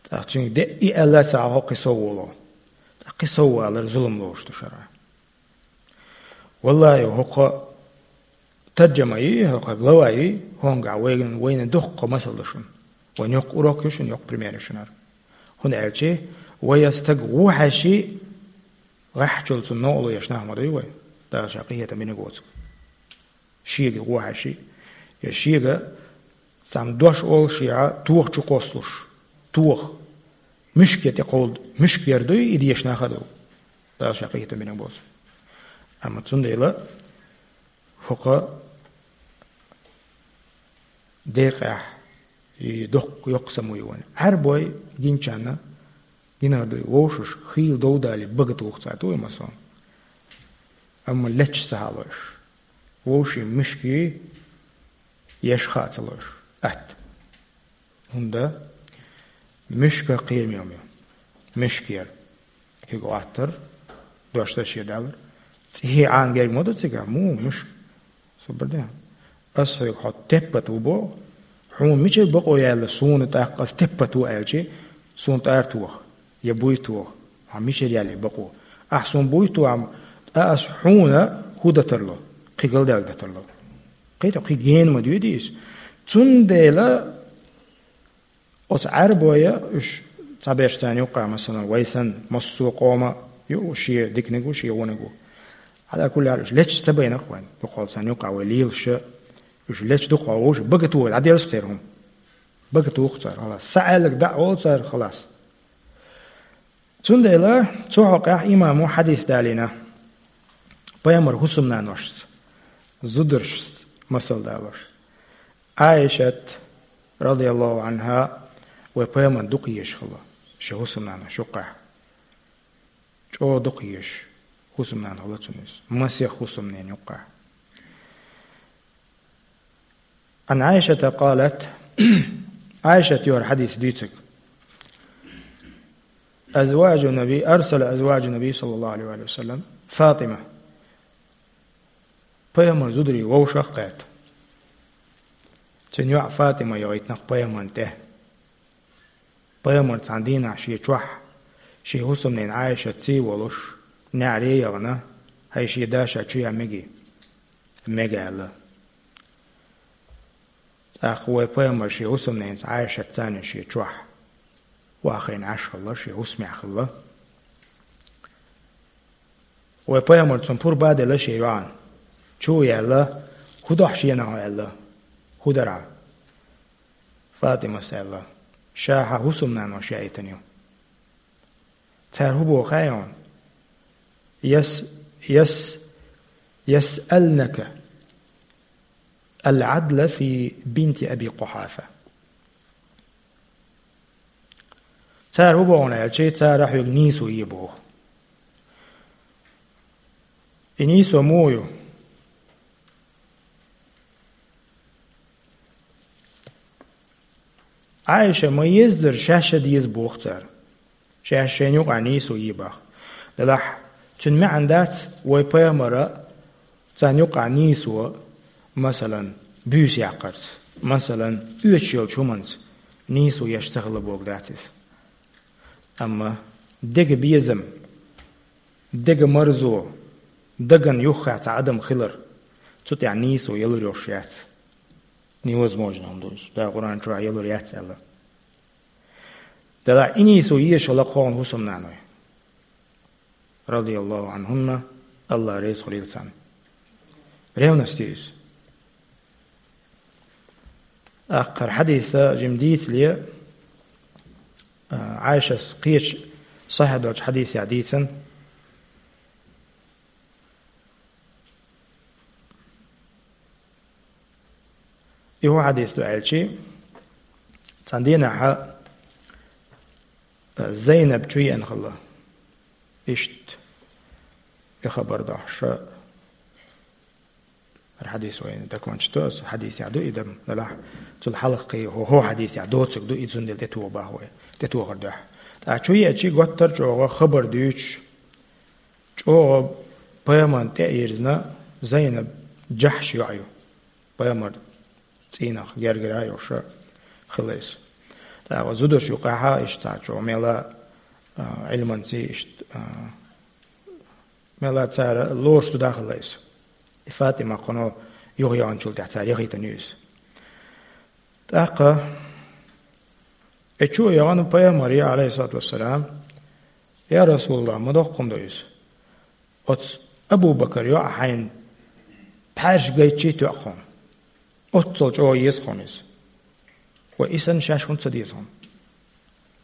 тӀаккха цуьнга де и аьлла ца хьо кхин сов волу. Ткъа кхин сов валар зулам лоруш ду шарахь. Валлахи, хӀокху таржамаи, хӀокху главаи, хӀонгахь вайна, вайна дуккха масал ду шуна. Вайн йоккха урок ю шуна, йоккха пример ю шуна хӀара. ХӀунда аьлча вай я стаг ву хьаьший, гӀеххьачул цунна новкъарло еш нах ма дуй вай, Дала ша къинхетам бинарг воцург. Шега ву хьаьший, я шега цхьана дош олу шега тоха чу кхоссалуш, тоха. Муьшке тӀе кховда, муьшка яр дуй, и дешнах а ду. Дала ша къинхетам бинарг боцу. Амма цундела хӀокху декъехь и доккха йоккха самуй вайн. Ӏаьрбой гинчарна гинар дуй, вовшаш хийла дов далий бага туху цара, дуй масалан. Амма лечча ца хьалойш. Вовшийн муьшкий еш хаа ца лойш. Атта. ХӀунда муьшка кхераме ю. Муьшка яр. Кхига Ӏоттар, дош дан шен далар. ЦӀехе Ӏана герга ма ду цигахь, муха муьшка? Собар де. Ас хьоьга хьо теппат ву боху, хьуна мичара бакъо яьлла суна тӀаккха ас теппат ву аьлчи, суна тӀара тоха, я буй тоха, хьан мичара яьлла бакъо? Ахь суна буй тоха, ткъа ас хьуна хӀун дан тарло? Кхин галдаьлла дан тарло. Кхин тӀе кхин гена ма дуьйди иза. Цундела оцу Ӏаьрбоя уьш цхьаберш царна юккъехь, масалан, вай санна, массо а къома ю, шен диканиг ву, шен вониг ву. Ӏала кулли хьал уьш лечча ца байна-кх вайн, дукхахьол царна юккъехь вай лелаша, уьш лечча дукхахьол вовша бага туху, дӀаделлаш церан хӀума. Бага туху цара, халас. Са Ӏаьлларг дӀа а олу цара, халас. Цундела цу хьокъехь имамо хьадис далийна, пайхамар хӀусамнаношца, зударшца масал далош. Ӏайшат, радияллаху анхьа, вай пайхамарна дукха езаш хилла, шен хӀусамнаношна юккъехь. ЧӀогӀа дукха езаш хӀусамнана хилла цуьнан иза, масех хӀусамненан юккъехь. عن عائشة قالت، Ӏайшат йора хьадис дуьйцург. أزواج النبي، أرسل أزواج النبي صلى الله عليه وسلم فاطمة. Пайхамар зударий вовшах а кхетта, цуьнан йоӀ Фатима яхийтинарг пайхамарна тӀе. Пайхамар цхьана дийнахь шен чохь, шен хӀусамненан Ӏайшатций волуш, неӀаре а яхана, хӀай шен да ша чу ян мегий? Мега аьлла. ТӀаккха вай пайхамар шен хӀусамненца Ӏайшатца цхьана шен чохь вахийна Ӏаш хилла, шен хӀусамехь хилла. Вай пайхамар цунна пурба а делла шен йоӀана. Чу а яьлла, хӀун до ахь шена аьлла, хӀун дара? Фатимас аьлла, ша хьан хӀусамнанош яийтина ю. Цара хӀун боху хаьий хьуна? Яс-, яс-, يسألنك العدل في بنت أبي قحافة. Цара хӀун боху аьлча, цара хьоьга нийсо е боху. И нийсо муха ю? Ӏайша ма-еззара шаьш а деза боху цара. Шаьш шайна юкъахь нийсо йийбахь. Делахь, цуьнан маьӀна дац вай пайхамара царна юкъахь нийсо, масалан, буьйса яккхарца, масалан, оьшуш йолчу хӀуманца нийсо еш ца хилла бохург дац иза. Амма дега безам, дега марзо, дагана юххехь цхьа адам хилар, цу тӀехь нийсо ялур йолуш яц. Невозможно хӀума ду иза. Дала Къуръан чохь ялур яц аьлла. Делахь и нийсо езаш хилла кху хӀусамнаной. Радияллаху анхунна, Аллах реза хуьлийла царна. Ревность ю иза. ТӀаккха хӀара хьадиса жима дийцале, а, Ӏайшас кхечу сахьихь долчу хьадисехь дийцина. И хӀун хьадис ду аьлчи, цхьана дийнахь, а, Зайнаб чу еана хилла. Иштта и хабар дохьуш, хӀара хьадис вайна даконча до, аса хьадисехь ду и дам, делахь, цул хьалха кхин хӀо-, хӀо хьадисехь доцург ду, и цундела тӀетоха боху вай, тӀетохар дуьхьа. ТӀаккха чу еачи, гуттар а чӀогӀа хабар дуьйцуш, чӀогӀа пайхамарна тӀе а йирзина, Зайнаб Джахьш йоӀ ю. Пайхамар цӀийнах гергара а йолуш хилла иза. ТӀаккха зударша юкъахь а иштта цхьа чӀогӀа мела, а, Ӏилманций иштта, а, мела цара лоруш зуда хилла иза. И ФатӀима кхунна юха яханчул тӀаьхьа цара яхийтина ю иза. ТӀаккха и чу а яхана пайхамаре, алейхиссалату вассалам: «Я Расулаллах, ма доккха хӀума ду иза. Оцу Абу-Бакар йоӀ хьайна пхьаьрша гайтчий тоьа хьуна. Оццул чӀогӀа еза хьуна иза. Ва и санна шаьш хӀунда ца деза хьуна?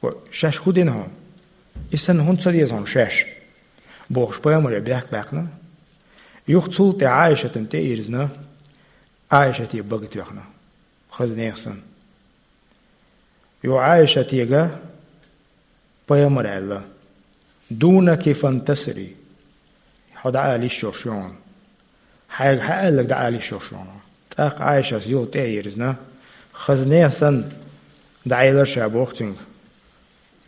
Ва шаьш хӀун дина хьуна? И санна хӀунда ца деза хьуна шаьш?» — бохуш, пайхамаре бехк баьккхина. Юха цул тӀе Ӏайшатана тӀе а йирзина, Ӏайшате бага тоьхна. Хаза нехан санна. Юха Ӏайшатега пайхамара аьлла: «Дунаки фантасири». Хьо дӀаала йиш йолуш ю хьуна. Хьайга хьан аьлларг дӀаала йиш йолуш ю хьуна. ТӀаккха Ӏайшас юха тӀе а йирзина, хаза нехан санна дӀаэлира ша боху цуьнга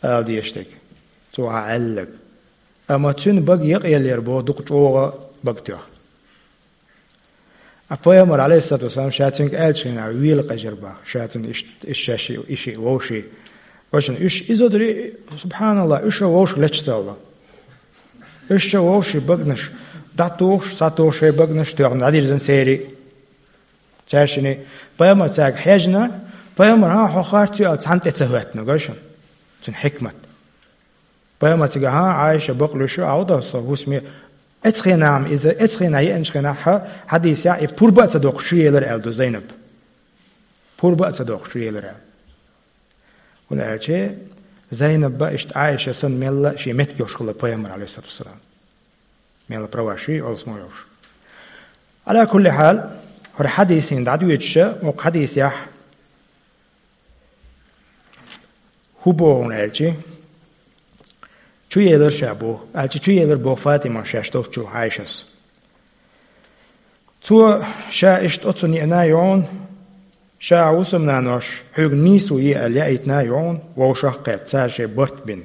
ала дезаш дерг, цо хьан аьлларг. Амма цуьнан бага якъаеллера боху дукха чӀогӀа бага тоьхна. А пайхамар, алейхиссалату вассалам, ша цуьнга аьллачу хенахь вела къежира боху, ша цуьнан иш, иш шаьш, иш вовший. Вайшинна уьш и зударий, субханаллах, уьш а вовшах леташ ца хилла. Уьш а вовшийн багнаш, дӀатухуш, схьатухуш шайн багнаш тоьхна, дӀадирзина церий. Цаьршинний, пайхамар цаьрга хьежна, пайхамар: «ХӀан, хьо харц ю?» — аьлла, цхьанна тӀе ца хӀоьттина, гой шуна цуьнан хьикмат. Пайхамар цига: «ХӀан, Ӏайша, бакълуьйш ю, Ӏовда со хӀусаме». Эцхенахь иза, эцхенахь еанчу хенахь хьа-, хьадийсехь, и пурба а ца доккхуш чу елира аьлла ду Зайнаб. Пурба а ца доккхуш чу елира аьлла. ХӀунда аьлча Зайнаб а иштта Ӏайша санна мелла а шен меттиг йолуш хилла пайхамар, алейхиссалату вассалам. Мелла права ши, олсмо йолуш. Ала кулли хьал, хӀара хьадийсийн дӀадоьдуша, оха хьадийсехь, хӀун боху аьлчи, чу елар ша боху, аьлчи чу елар боху Фатима шаьш долчу Ӏайшас. Цо ша иштта оцу неана йогӀун, ша хӀусамнанош хьоьга нийсо е аьлла яийтина йогӀун, вовшах а кхетта, цара шайн барт бина.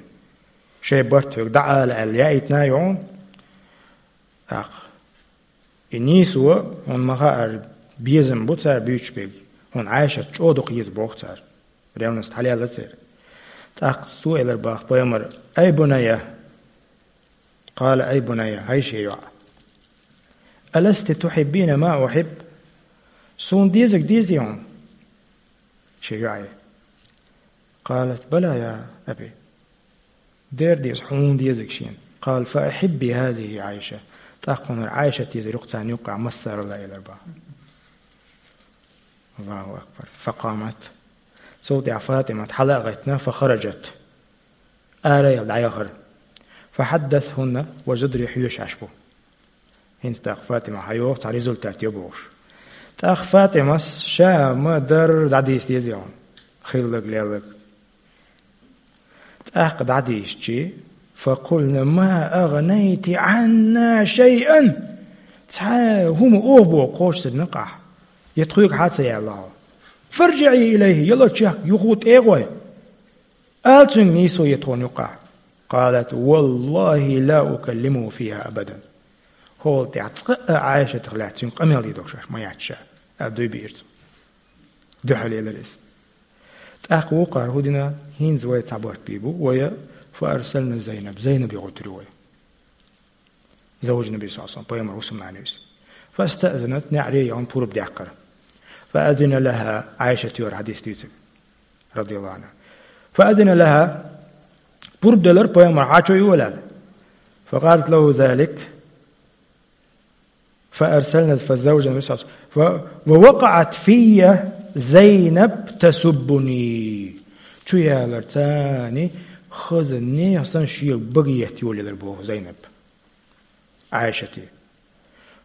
Шайн барт хьоьга дӀаала аьлла яийтина йогӀун. ТӀаккха и нийсо, хьуна ма-хаъара, безам бу цара буьйцуш берг, хьуна Ӏайшат чӀогӀа дукха еза боху цара. Ревность хьалаелла церан. ТӀаккха цо элар баха пайхамар: «Ай бунайя!» Къала: «Ай бунайя, хӀай шен йоӀ! Аласти тухьиббина ма ухьиб? Суна дезарг дезий хьуна?» Шен йоӀе. Къалат: «Бала, я аби». Дера деза, хьуна дезарг шена. Къала: «Фа ахьибби хӀазихи Ӏайша». ТӀаккха хьуна Ӏайшат дезар ю-кх царна юккъехь массарал а, элар баха. Аллаху акбар. Факъамат. Цул тӀаьхьа Фатимат хьала а гӀеттина, фахараджат. Ара а яьлла дӀаяхара. ФахьаддасхӀунна, ва зударий хьоьжуш Ӏаш бу. ХӀинца тӀаккха Фатима хьайогӀу, цхьа результат йо бохуш. ТӀаккха Фатимас ша ма-дарра дӀадийца деза хьуна хилларг, лелларг. ТӀаккха дӀадийшчи, факъулна: «Ма агӀнайти Ӏанна шайъан». Цхьа хӀума оха боху кхочушдерг накъахь. Я тхоьга хьа ца яьлла хьо. «ФарджиӀи илайхи», яло чехка юха тӀе а гӀой. Ала цуьнга нийсо е тхуна юккъехь. قالت: والله لا أكلمه فيها أبدا. ХӀолла тӀехь цкъа а Ӏайшатах лаьцна цуьнга къамел дийр догӀу шаьш ма яц ша, аьлла дуй биира цо. Дуьхьал елира иза. ТӀаккха вукхара хӀу дина, хӀинца вай цхьа барт бийр бу, вай فأرسلنا زينب, Зайнаб йохуьйтур ю вай. زوج النبي صلى الله عليه وسلم, пайхамар хӀусамнана ю иза. فاستأذنت, неӀаре яхана пурба даьккхира. فأذن لها, Ӏайшат йора хьадис дуьйцург, رضي الله عنها. فأذن لها, пурба делира пайхамар, хьачо йола аьлла. فقالت له ذلك. فأرسلنا فزوج النبي صلى الله عليه وسلم. ف-، ووقعت في زينب تسبني. Чу ялар цани хаза нехан санна шега бага етта йолаелар боху Зайнаб Ӏайшате.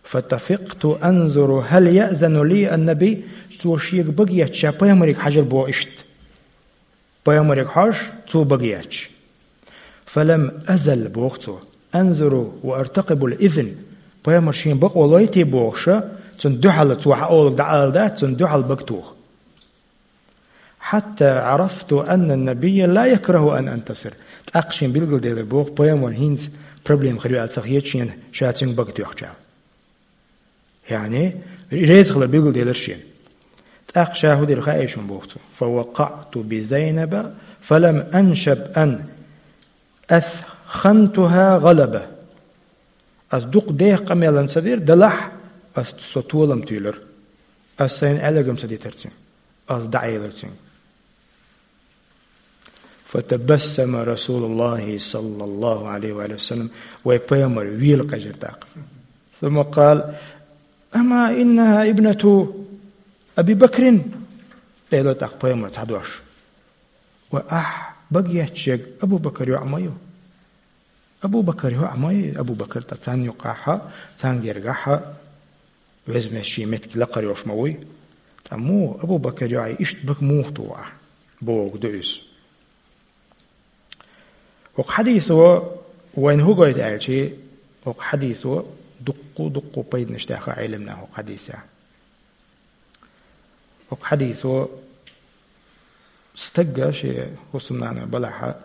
فطفقت أنظر هل يأذن لي النبي, цо шега бага етта ша пайхамарега хьажар боху иштта. Пайхамарега хьожуш, цо бага етташ. فلم أزل, боху цо, أنظر وأرتقب الإذن, пайхамар шен бакъо лойтий бохуша, цунна дуьхьал цо хьаолург дӀаала дац, цунна дуьхьал бага тоха. حتى عرفت أن النبي لا يكره أن أنتصر. ТӀаккха шен билгалделира боху, пайхамар хӀинца проблема хир ю аьлла ца хета шена, ша цуьнга бага тоьхча. Яъни, реза хилар билгалделира шена. ТӀаккха ша хӀу дира хаьий шуна боху цо. فوقعت بزينب فلم أنشب أن أثخنتها غلبة. Ас дукха деха къамелан ца дира, делахь ас со толам туьйлира. Ас сайна аьлларг-м ца дитира цуьнга. Ас дӀаэлира цуьнга. فتبسم رسول الله صلى الله عليه وآله وسلم, вай пайхамар вела кхаьжира тӀаккха. ثم قال: أما إنها ابنة أبي بكر؟ Элира тӀаккха пайхамар цхьа дош. Ва ахь бага етташ ерг Абу Бакар йоӀ ма ю? Абу Бакар йоӀ ма ю, Абу Бакар ткъа царна юккъехьа, царна гергахьа, веза-веза шен меттиг лакхара йолуш ма вуй. Ткъа муха Абу Бакар йоӀе иштта бага муха туху ахь? Бохург ду иза. ХӀокху хьадисо вайна хӀун гойту аьлчи, хӀокху хьадисо дуккха-дуккха пайданаш даьхна Ӏеламнаха хӀокху хьадисехь. ХӀокху хьадисо стага шен хӀусамнана балахьа,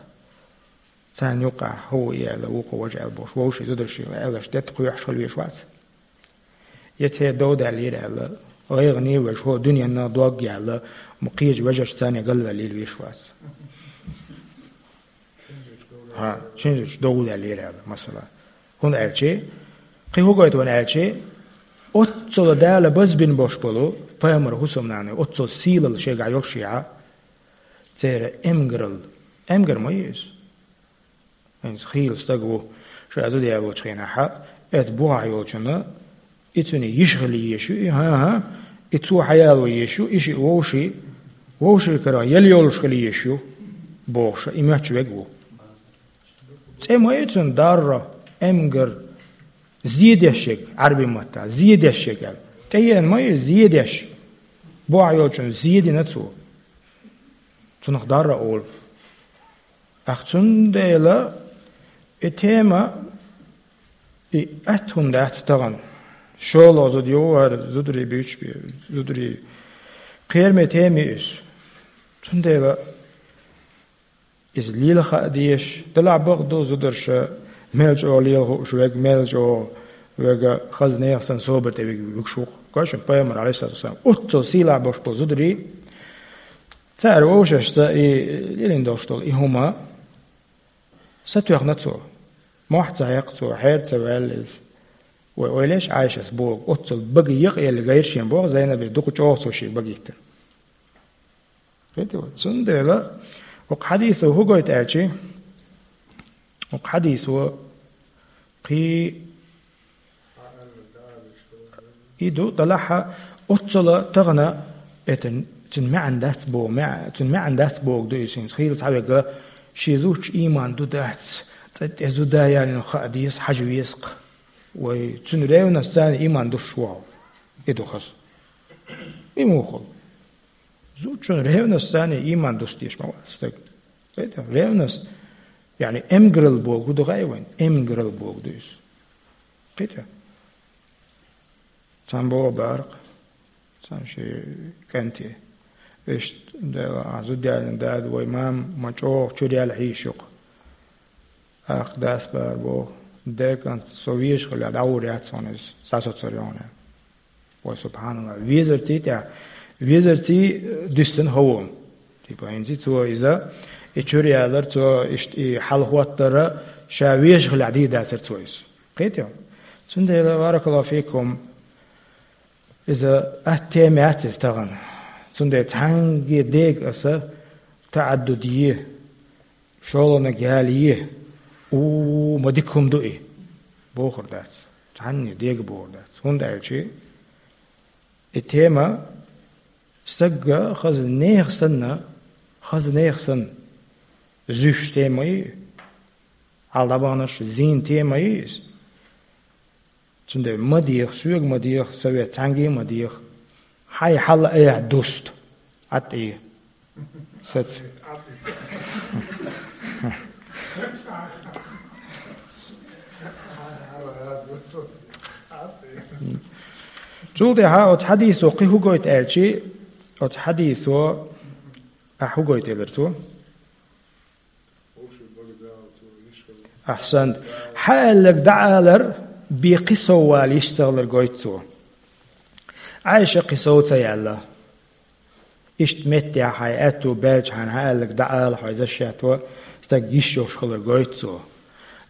царна юккъехь хӀун ву и аьлла, вукхо важа аьлла бохуш, вовшийн зударшна аьлларш детта кхоьхьуш хила везаш вац. Я церан дов даьллера аьлла, гӀайгӀане а веш, хӀо дуьненна дог яьлла, ма кхечу вежаршца царна галваьллийла везаш вац. ХӀа, шина зудчу дов даьллера аьлла, масала. ХӀунда аьлчи, кхин хӀун гойту вайна аьлчи, оццула Дала базбина бош болу пайхамар хӀусамнана, оццула сийлалла шайгахь йолушехь, церан эмгаралла, эмгар ма ю иза. ХӀинца хийла стаг ву, ша зуда ялочу хенахьа, эцу бухахь йолчунна, и цуьнан йиша хила езаш ю, и, хӀан-хӀа, и цо хьаяло езаш ю, и шиъ вовший, вовшийн карахь яла йолуш хила езаш ю, бохуша, и моьттуш верг ву. ЦӀе ма ю цуьнан дарра, эмгар, зе деш ерг, Ӏаьрбийн маттахь, зе деш ерг аьлла. ТӀеена ма ю зе деш. Бухахь йолчунна зе дина цо. Цунах дарра олу. ТӀаккха цундела и тема, и атта хӀума дац тахана. ШолгӀа зуда йогӀу хӀара зударий буьйцуш бен, зударий кхераме тема ю иза. Цундела иза лела хаа дезаш, делахь бакъ ду зударша мел чӀогӀа лела хууш верг, мел чӀогӀа верг хаза нехан санна собар тӀе вигаш ву-кх. Кхойшун пайхамар, Ӏалайхиссалату вассалам, оццул сийлахь болуш болу зударий, цара вовшашца и лелийна долуш долу и хӀума сатоьхна цо. Мохь ца хьекхна цо, хьер ца ваьлла иза. Вай ойла еш Ӏайшас боху, оццул бага екъаелла гайра шен боху Зайнабе, дукха чӀогӀа цо шен бага йиттина. Кхетий вай? Цундела хӀокху хьадисо хӀун гойту аьлчи, хӀокху хьадисо кхин и ду, делахь а, оццула тахана, это, цуьнан маьӀна дац боху, маьӀ-, цуьнан маьӀна дац бохург ду иза хӀинца. Хийла цхьаверг шен зудчун ийман ду дац, цӀа тӀе зуда ялийна хаа деза, хьажа веза-кх. Вай, цуьнан ревность царна ийман дуссуш ву хьо. И ду хаза. И муха хуьлу? Зудчун ревность царна ийман дуссадеш ма вац стаг. Кхетий? Ревность, яъни эмгаралла бохург ду хаьий вайна? Эмгаралла бохург ду иза. Кхетий? Цхьана боху бара-кх, цхьана шен кӀанте: «Вешта, Дела, ахь зуда ялийна дада, вай мама ма чӀогӀа чуьра яьлла хьийзаш ю-кх». Ах, дас бара боху, декант со везаш хилла, дӀагӀур яц хьуна иза, сацоцар йогӀу. Вай, субханалла, везарций тӀехь, везарций дуьстина хӀавон. Типа, хӀинца цо иза, и чуьра ялар цо, иштта и хьал хӀоттара, ша везаш хилла дийр дацара цо иза. Кхетий? Цундела, баракаллаху фикум, иза атта тема яц иза тахана. Цундела цхьаьнгге дега аса таӀаддуд е, шолгӀаниг яла е, у, ма дика хӀума ду и, бохур дац. Цхьанне дега бохур дац. ХӀунда аьлча и тема стагга хаза нехан санна, хаза нехан санна зуьйш тема ю, хьал дӀабаханарш зийна тема ю иза. Цундела ма деха, соьга ма деха, совет цхьаьнгге а ма деха. Хьайн хьал а яхь дуста. ӀаттӀе. Саца. Цул тӀаьхьа оцу хьадисо кхин хӀу гойту аьлча, оцу хьадисо, ахь хӀу гойту элира цо? Ахьсант. Хьан аьлларг дӀаалар бен кхин сов вала йиш ца хилар гойту цо. Ӏайша кхин сов ца яьлла. Иштта меттехь хьайн аьтту баьлча хьайна хьан аьлларг дӀаала хьо, иза шаьтто стаг йиш йолуш хилар гойту цо.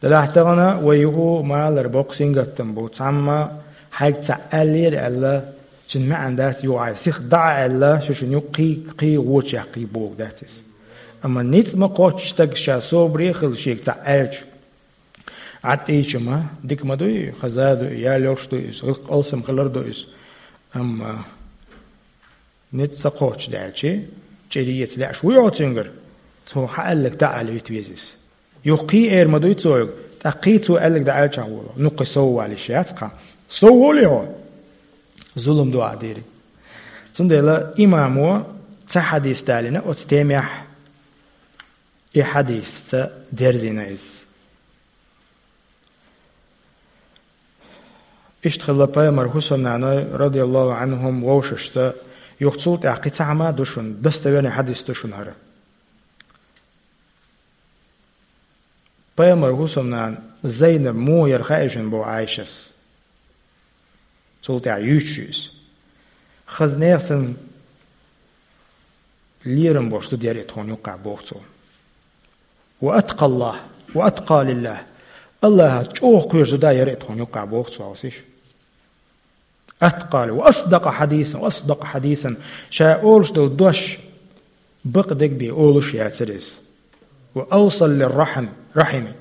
Делахь тахана вай юха малар боккха сингаттам бу. Цхьамма хьайга цхьаъ аьллера аьлла, цуьнан маьӀна дац юха хьайн сиха дӀа а аьлла, шу шуна юккъе кхий, кхий вочу яккхий боху дац иза. Амма ницкъ ма кхоччу стаг ша собаре а хилла шега цхьаъ аьлча, ӀаттӀийча ма, дика ма дуй, хаза а дуй, ял йолуш дуй иза, гӀиллакх алсам хилар ду иза. Амма ницкъ ца кхоччуш даьлча, чӀир еца лаьаш вуй хьо цуьнгара? Цо хьан аьлларг дӀаала вита веза иза. Юха кхий эр ма дуй цо юга, тӀаккха кхий цо аьлларг дӀааьлчахь волу. Ну кхин сов вала йиш яц кхин. Сов волий хьо? Зулам ду ахь дийриг. Цундела имамо цхьа хьадис далийна оцу темехь, и хьадисца дерзийна иза. Иштта хилла пайхамар хӀусамнаной, радияллаху Ӏанхум, вовшашца, юха цул тӀаьхьа кхин цхьа хӀума а ду шуна, достоверный хьадис ду шуна хӀара. Пайхамар хӀусамнана Зайнаб муха яра хаьий шуна боху Ӏайшас. Цул тӀаьхьа юьйцуш ю иза. Хаза нехан санна лерам болуш зуда яра и тхуна юккъехь боху цо. Ва атқаллахь, ва атқа лиллахь. Аллахьца чӀогӀа кхоьруш зуда яра и тхуна юккъехь боху цо, хьовсийша. Атқали, ва асдакъа хьадисан, ва асдакъа хьадисан. Ша олуш долу дош бакъдерг бен олуш яцара иза. Ва авсал лир рахьам, рахьими.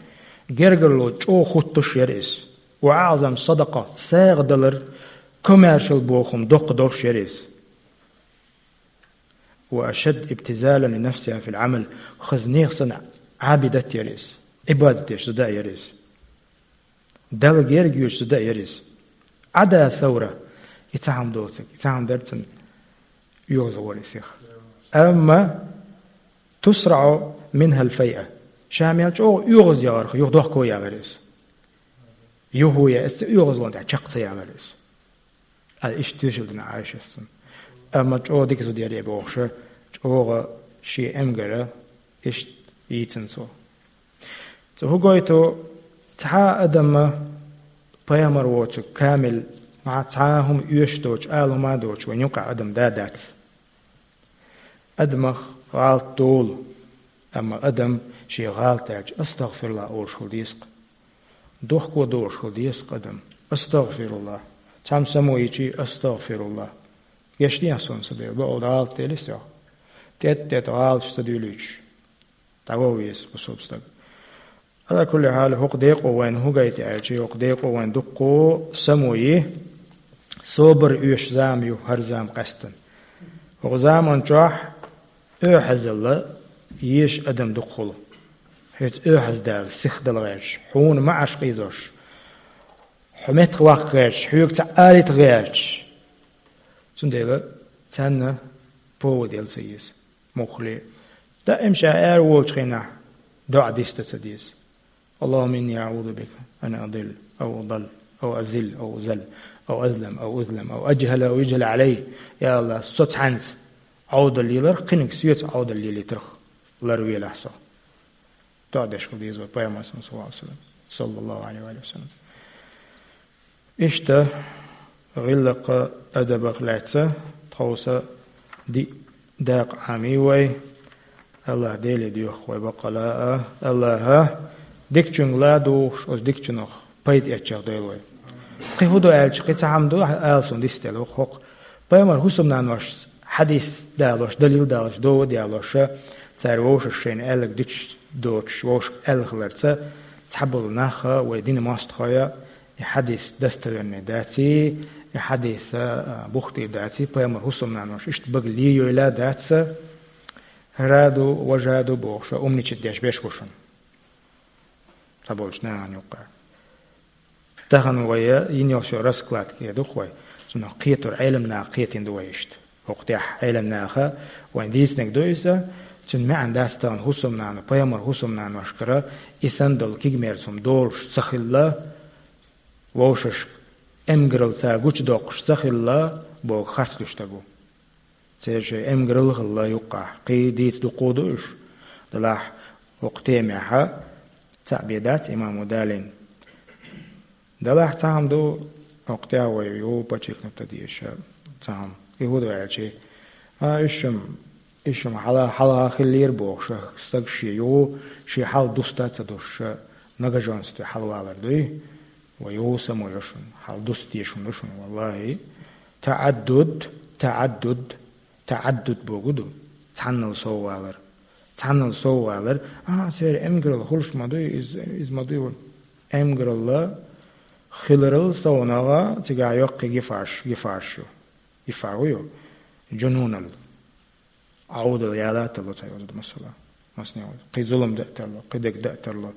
Гергарло чӀогӀа хуттуш яра иза. Ва аӀзам садакъа, сагӀа далар, комаьршал боху хӀума доккха долуш яра иза. Ва ашад ибтизалан ли нафсиха фил Ӏамал, хаза нехан санна Ӏабидат яра иза, Ӏибадат деш зуда яра иза. Далла герга йоьдуш зуда яра иза. Ӏада савра, и цхьа хӀума доцург, и цхьа хӀума дара цунна оьгӀазвахар и сиха. Амма тусраӀу минхал файъа, ша мел чӀогӀа оьгӀазвахарх, юха дохко ялара иза. Юха я, иза ца оьгӀазвахна тӀехь чекх ца ялара иза. Ай, иштта тоьшалла дина Ӏайшас цунна. Амма чӀогӀа дика зуда яра и бохуша, чӀогӀа шен эмгара иштта йийцина цо. Цо хӀу гойту, цхьа а адамма пайхамар воцург камил, маьӀ цхьа а хӀума оьшуш доцуш, ала хӀума а доцуш вайн юккъехь адам да дац. Адамах гӀалат долу, амма адам шен гӀалат аьлча астагӀфируллахӀ олуш хила деза-кх. Дохко долуш хила деза-кх адам. АстагӀфируллахӀ. Цхьамма само йичий, астагӀфируллахӀ. Гечдехьа суна, сан Дела, бакъ гӀалат делира со. ТӀетта-тӀетта гӀалаташ ца дуьйлуьйтуш, дӀаваха веза кху стаг. Ала кулли хьал, хӀокху декъо вайна хӀу гайта аьлча, хӀокху декъо вайн дуккхо само йи, собар оьшуш зама ю хӀара зама къаьстина. ХӀокху заман чохь оьгӀазалла езаш адам дукха хуьлу. Хьоьца оьгӀаздала, сихдала гӀерташ, хьуна маӀаш къийзош, хьо меттах ваккха гӀерташ, хьоьга цхьаъ алийта гӀерташ. Цундела царна повод яла ца еза. Муххале, даим ша ара волчу хенахь доӀа дисдан ца деза. اللهم إني أعوذ بك أن أضل أو أضل أو أزل أو أزل أو أظلم أو أظلم أو أجهل أو يجهل علي. Я АллахӀ, со цхьаьнца Ӏовдал леларх, кхиниг соьца Ӏовдал лелийтарх ларвелахь со. ТоӀадеш хила деза вай Пайхамар, саллаллаху Ӏалайхи ва саллам. Иштта гӀиллакха, адабах лаьцна тховса диъ дакъа Ӏамий вай. АллахӀ Деле доьху вай баккъала а, АллахӀа дикачуьнга ладугӀуш, оцу дикачунах пайда эцчех дойла вай. Кхин хӀун ду аьлча, кхин цхьа хӀума ду ала суна дицделла хӀокху. Пайхамар хӀусамнаношца хьадис далош, далил далош, дова а далош, цара вовшашка шайна аьлларг дуьтуш доцуш, вовшашка аьлла хиларца, цхьаболу нах а, вай динан мостагӀий а, и хьадис достоверный даций, и хьадис а, а, бухтий даций, пайхамар хӀусамнаношца иштта багале йойла а дац, хӀара а ду, важа а ду бохуш, умничать деш берш бу шуна цхьаболчу нахана юккъехь. Тахана вай йина йолчу раскладка эр ду-кх вай, цунах кхетар Ӏеламнаха кхетийна ду вай иштта. ХӀокху тӀехь Ӏеламнаха вайна дийцинарг ду иза, цуьнан маьӀна дац тахана хӀусамнана, пайхамар хӀусамнаношкара и санна долу кегамерса хӀума долуш ца хилла, вовшашка эмгаралла цара гучудоккхуш ца хилла боху харц луьйш стаг ву. Церан шайн эмгаралла а хилла юккъехь, кхин дийца дуккха а ду уьш. Делахь хӀокху темехь цхьаъ бен дац имамо далийна. Делахь цхьа хӀума ду, хӀокху тӀехь вай юха подчеркнуть дан дезаш цхьа хӀума. И хӀун ду аьлча, а, уьш-м, уьш-м хьала-, хьалха хиллера бохуш, стаг шен юха, шен хьал дуста а ца дуьсуш, многоженстве хьалавалар дуй. Вай юха само йо шуна, хьал дуста дезаш хӀума ду шуна, валлахӀи. ТаӀаддуд, таӀаддуд, таӀаддуд бохург ду. Цхьаннал сов валар. Цхьаннал сов валар. А, церан эмгаралла хуьлуш ма дуй, иза, иза ма дуй ван. Эмгаралла хиларал совнагӀа цигахь йоккхий гифаш, гифаш ю. Гифа ву ю. Джунуналла. Ӏовдал яла а тарло цхьа йоза ду, масала. Масне ву. Кхин зулам дан а тарло, кхин дерг дан а тарло.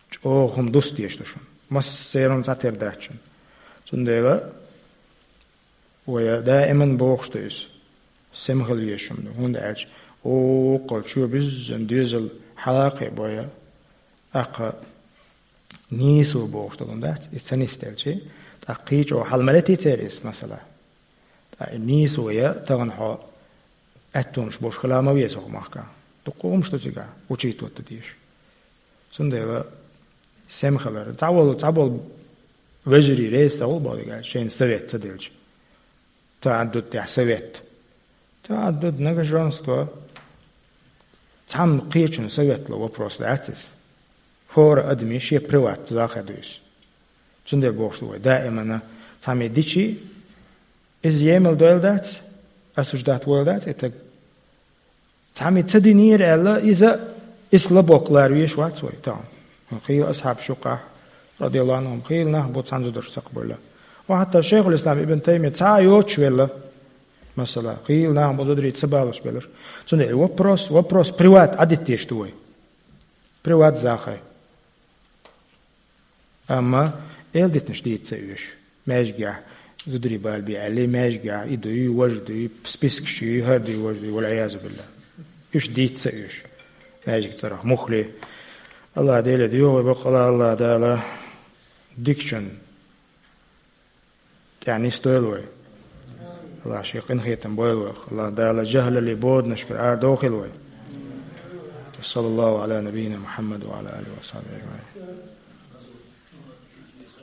ЧӀогӀа хӀума дуста дезаш ду шуна. Массеран цхьатерра дац шуна. Цундела вай даиман бохуш ду иза. Сема хила везаш хӀума ду. ХӀунда аьлча, вукхул чу биззина доьзал хьала а кхиабой, аккха нийсо бохуш долу хӀума дац, иза ца нисделчи, тӀаккха кхин чӀогӀа хьала ма летий церан иза, масала. Ткъа и нийсо я тахана хьо аьттонаш болуш хила ма веза хӀокху махкахь. Дуккха хӀумаш ду цигахь, учитывать дан дезаш. Цундела сема хилар. Цхьаболу, цхьаболу вежарий реза ца хуьлу бохург аьлча, шайна совет ца делча. ТаӀаддуд тӀехь совет. ТаӀаддуд, многоженство. Цхьамма кхечунна совет ло вопрос дац иза. ХӀора адамийн шен приват захе ду иза. Цундела бохуш ду вай, даимана цхьамма дичи, иза емал дойла дац, осуждать войла дац и таг. Цхьамма ца динера аьлла, иза, иза лабок лара веш вац вай, тахана. Хийла асхьабаш юккъехь, радияллаху анхум, хийла нах бу цхьана зударшца цхьаъ бевлла. Ва хьатта Шайхул-Ислам Ибн Таймия цхьа а йоцуш велла, масала, хийла нах бу зударий ца балош белларш. Цундела вопрос, вопрос приват Ӏадитта дезаш ду вай. Приват захе. Амма эл дитнаш дийца ца оьшу. Маьждигехь зударий бала бе аьллий, маьждигехь и дуй, важа дуй, спискаш юй, хӀара дуй, важа дуй, валӀиязу биллахӀ. Уьш дийца ца оьшу. Маьждиг цӀарах мухли. АллахӀ Деле доьху вай баккъала, АллахӀ Дала дикачун тӀехь нисдойла вай. АллахӀ шен къинхетам бойла вайх. АллахӀ Дала жахӀлаллин боданашкара арадохийла вай. Саллаллаху Ӏала набийина Мухьаммад ва Ӏала алихи ва сахьбихи ажмаӀин.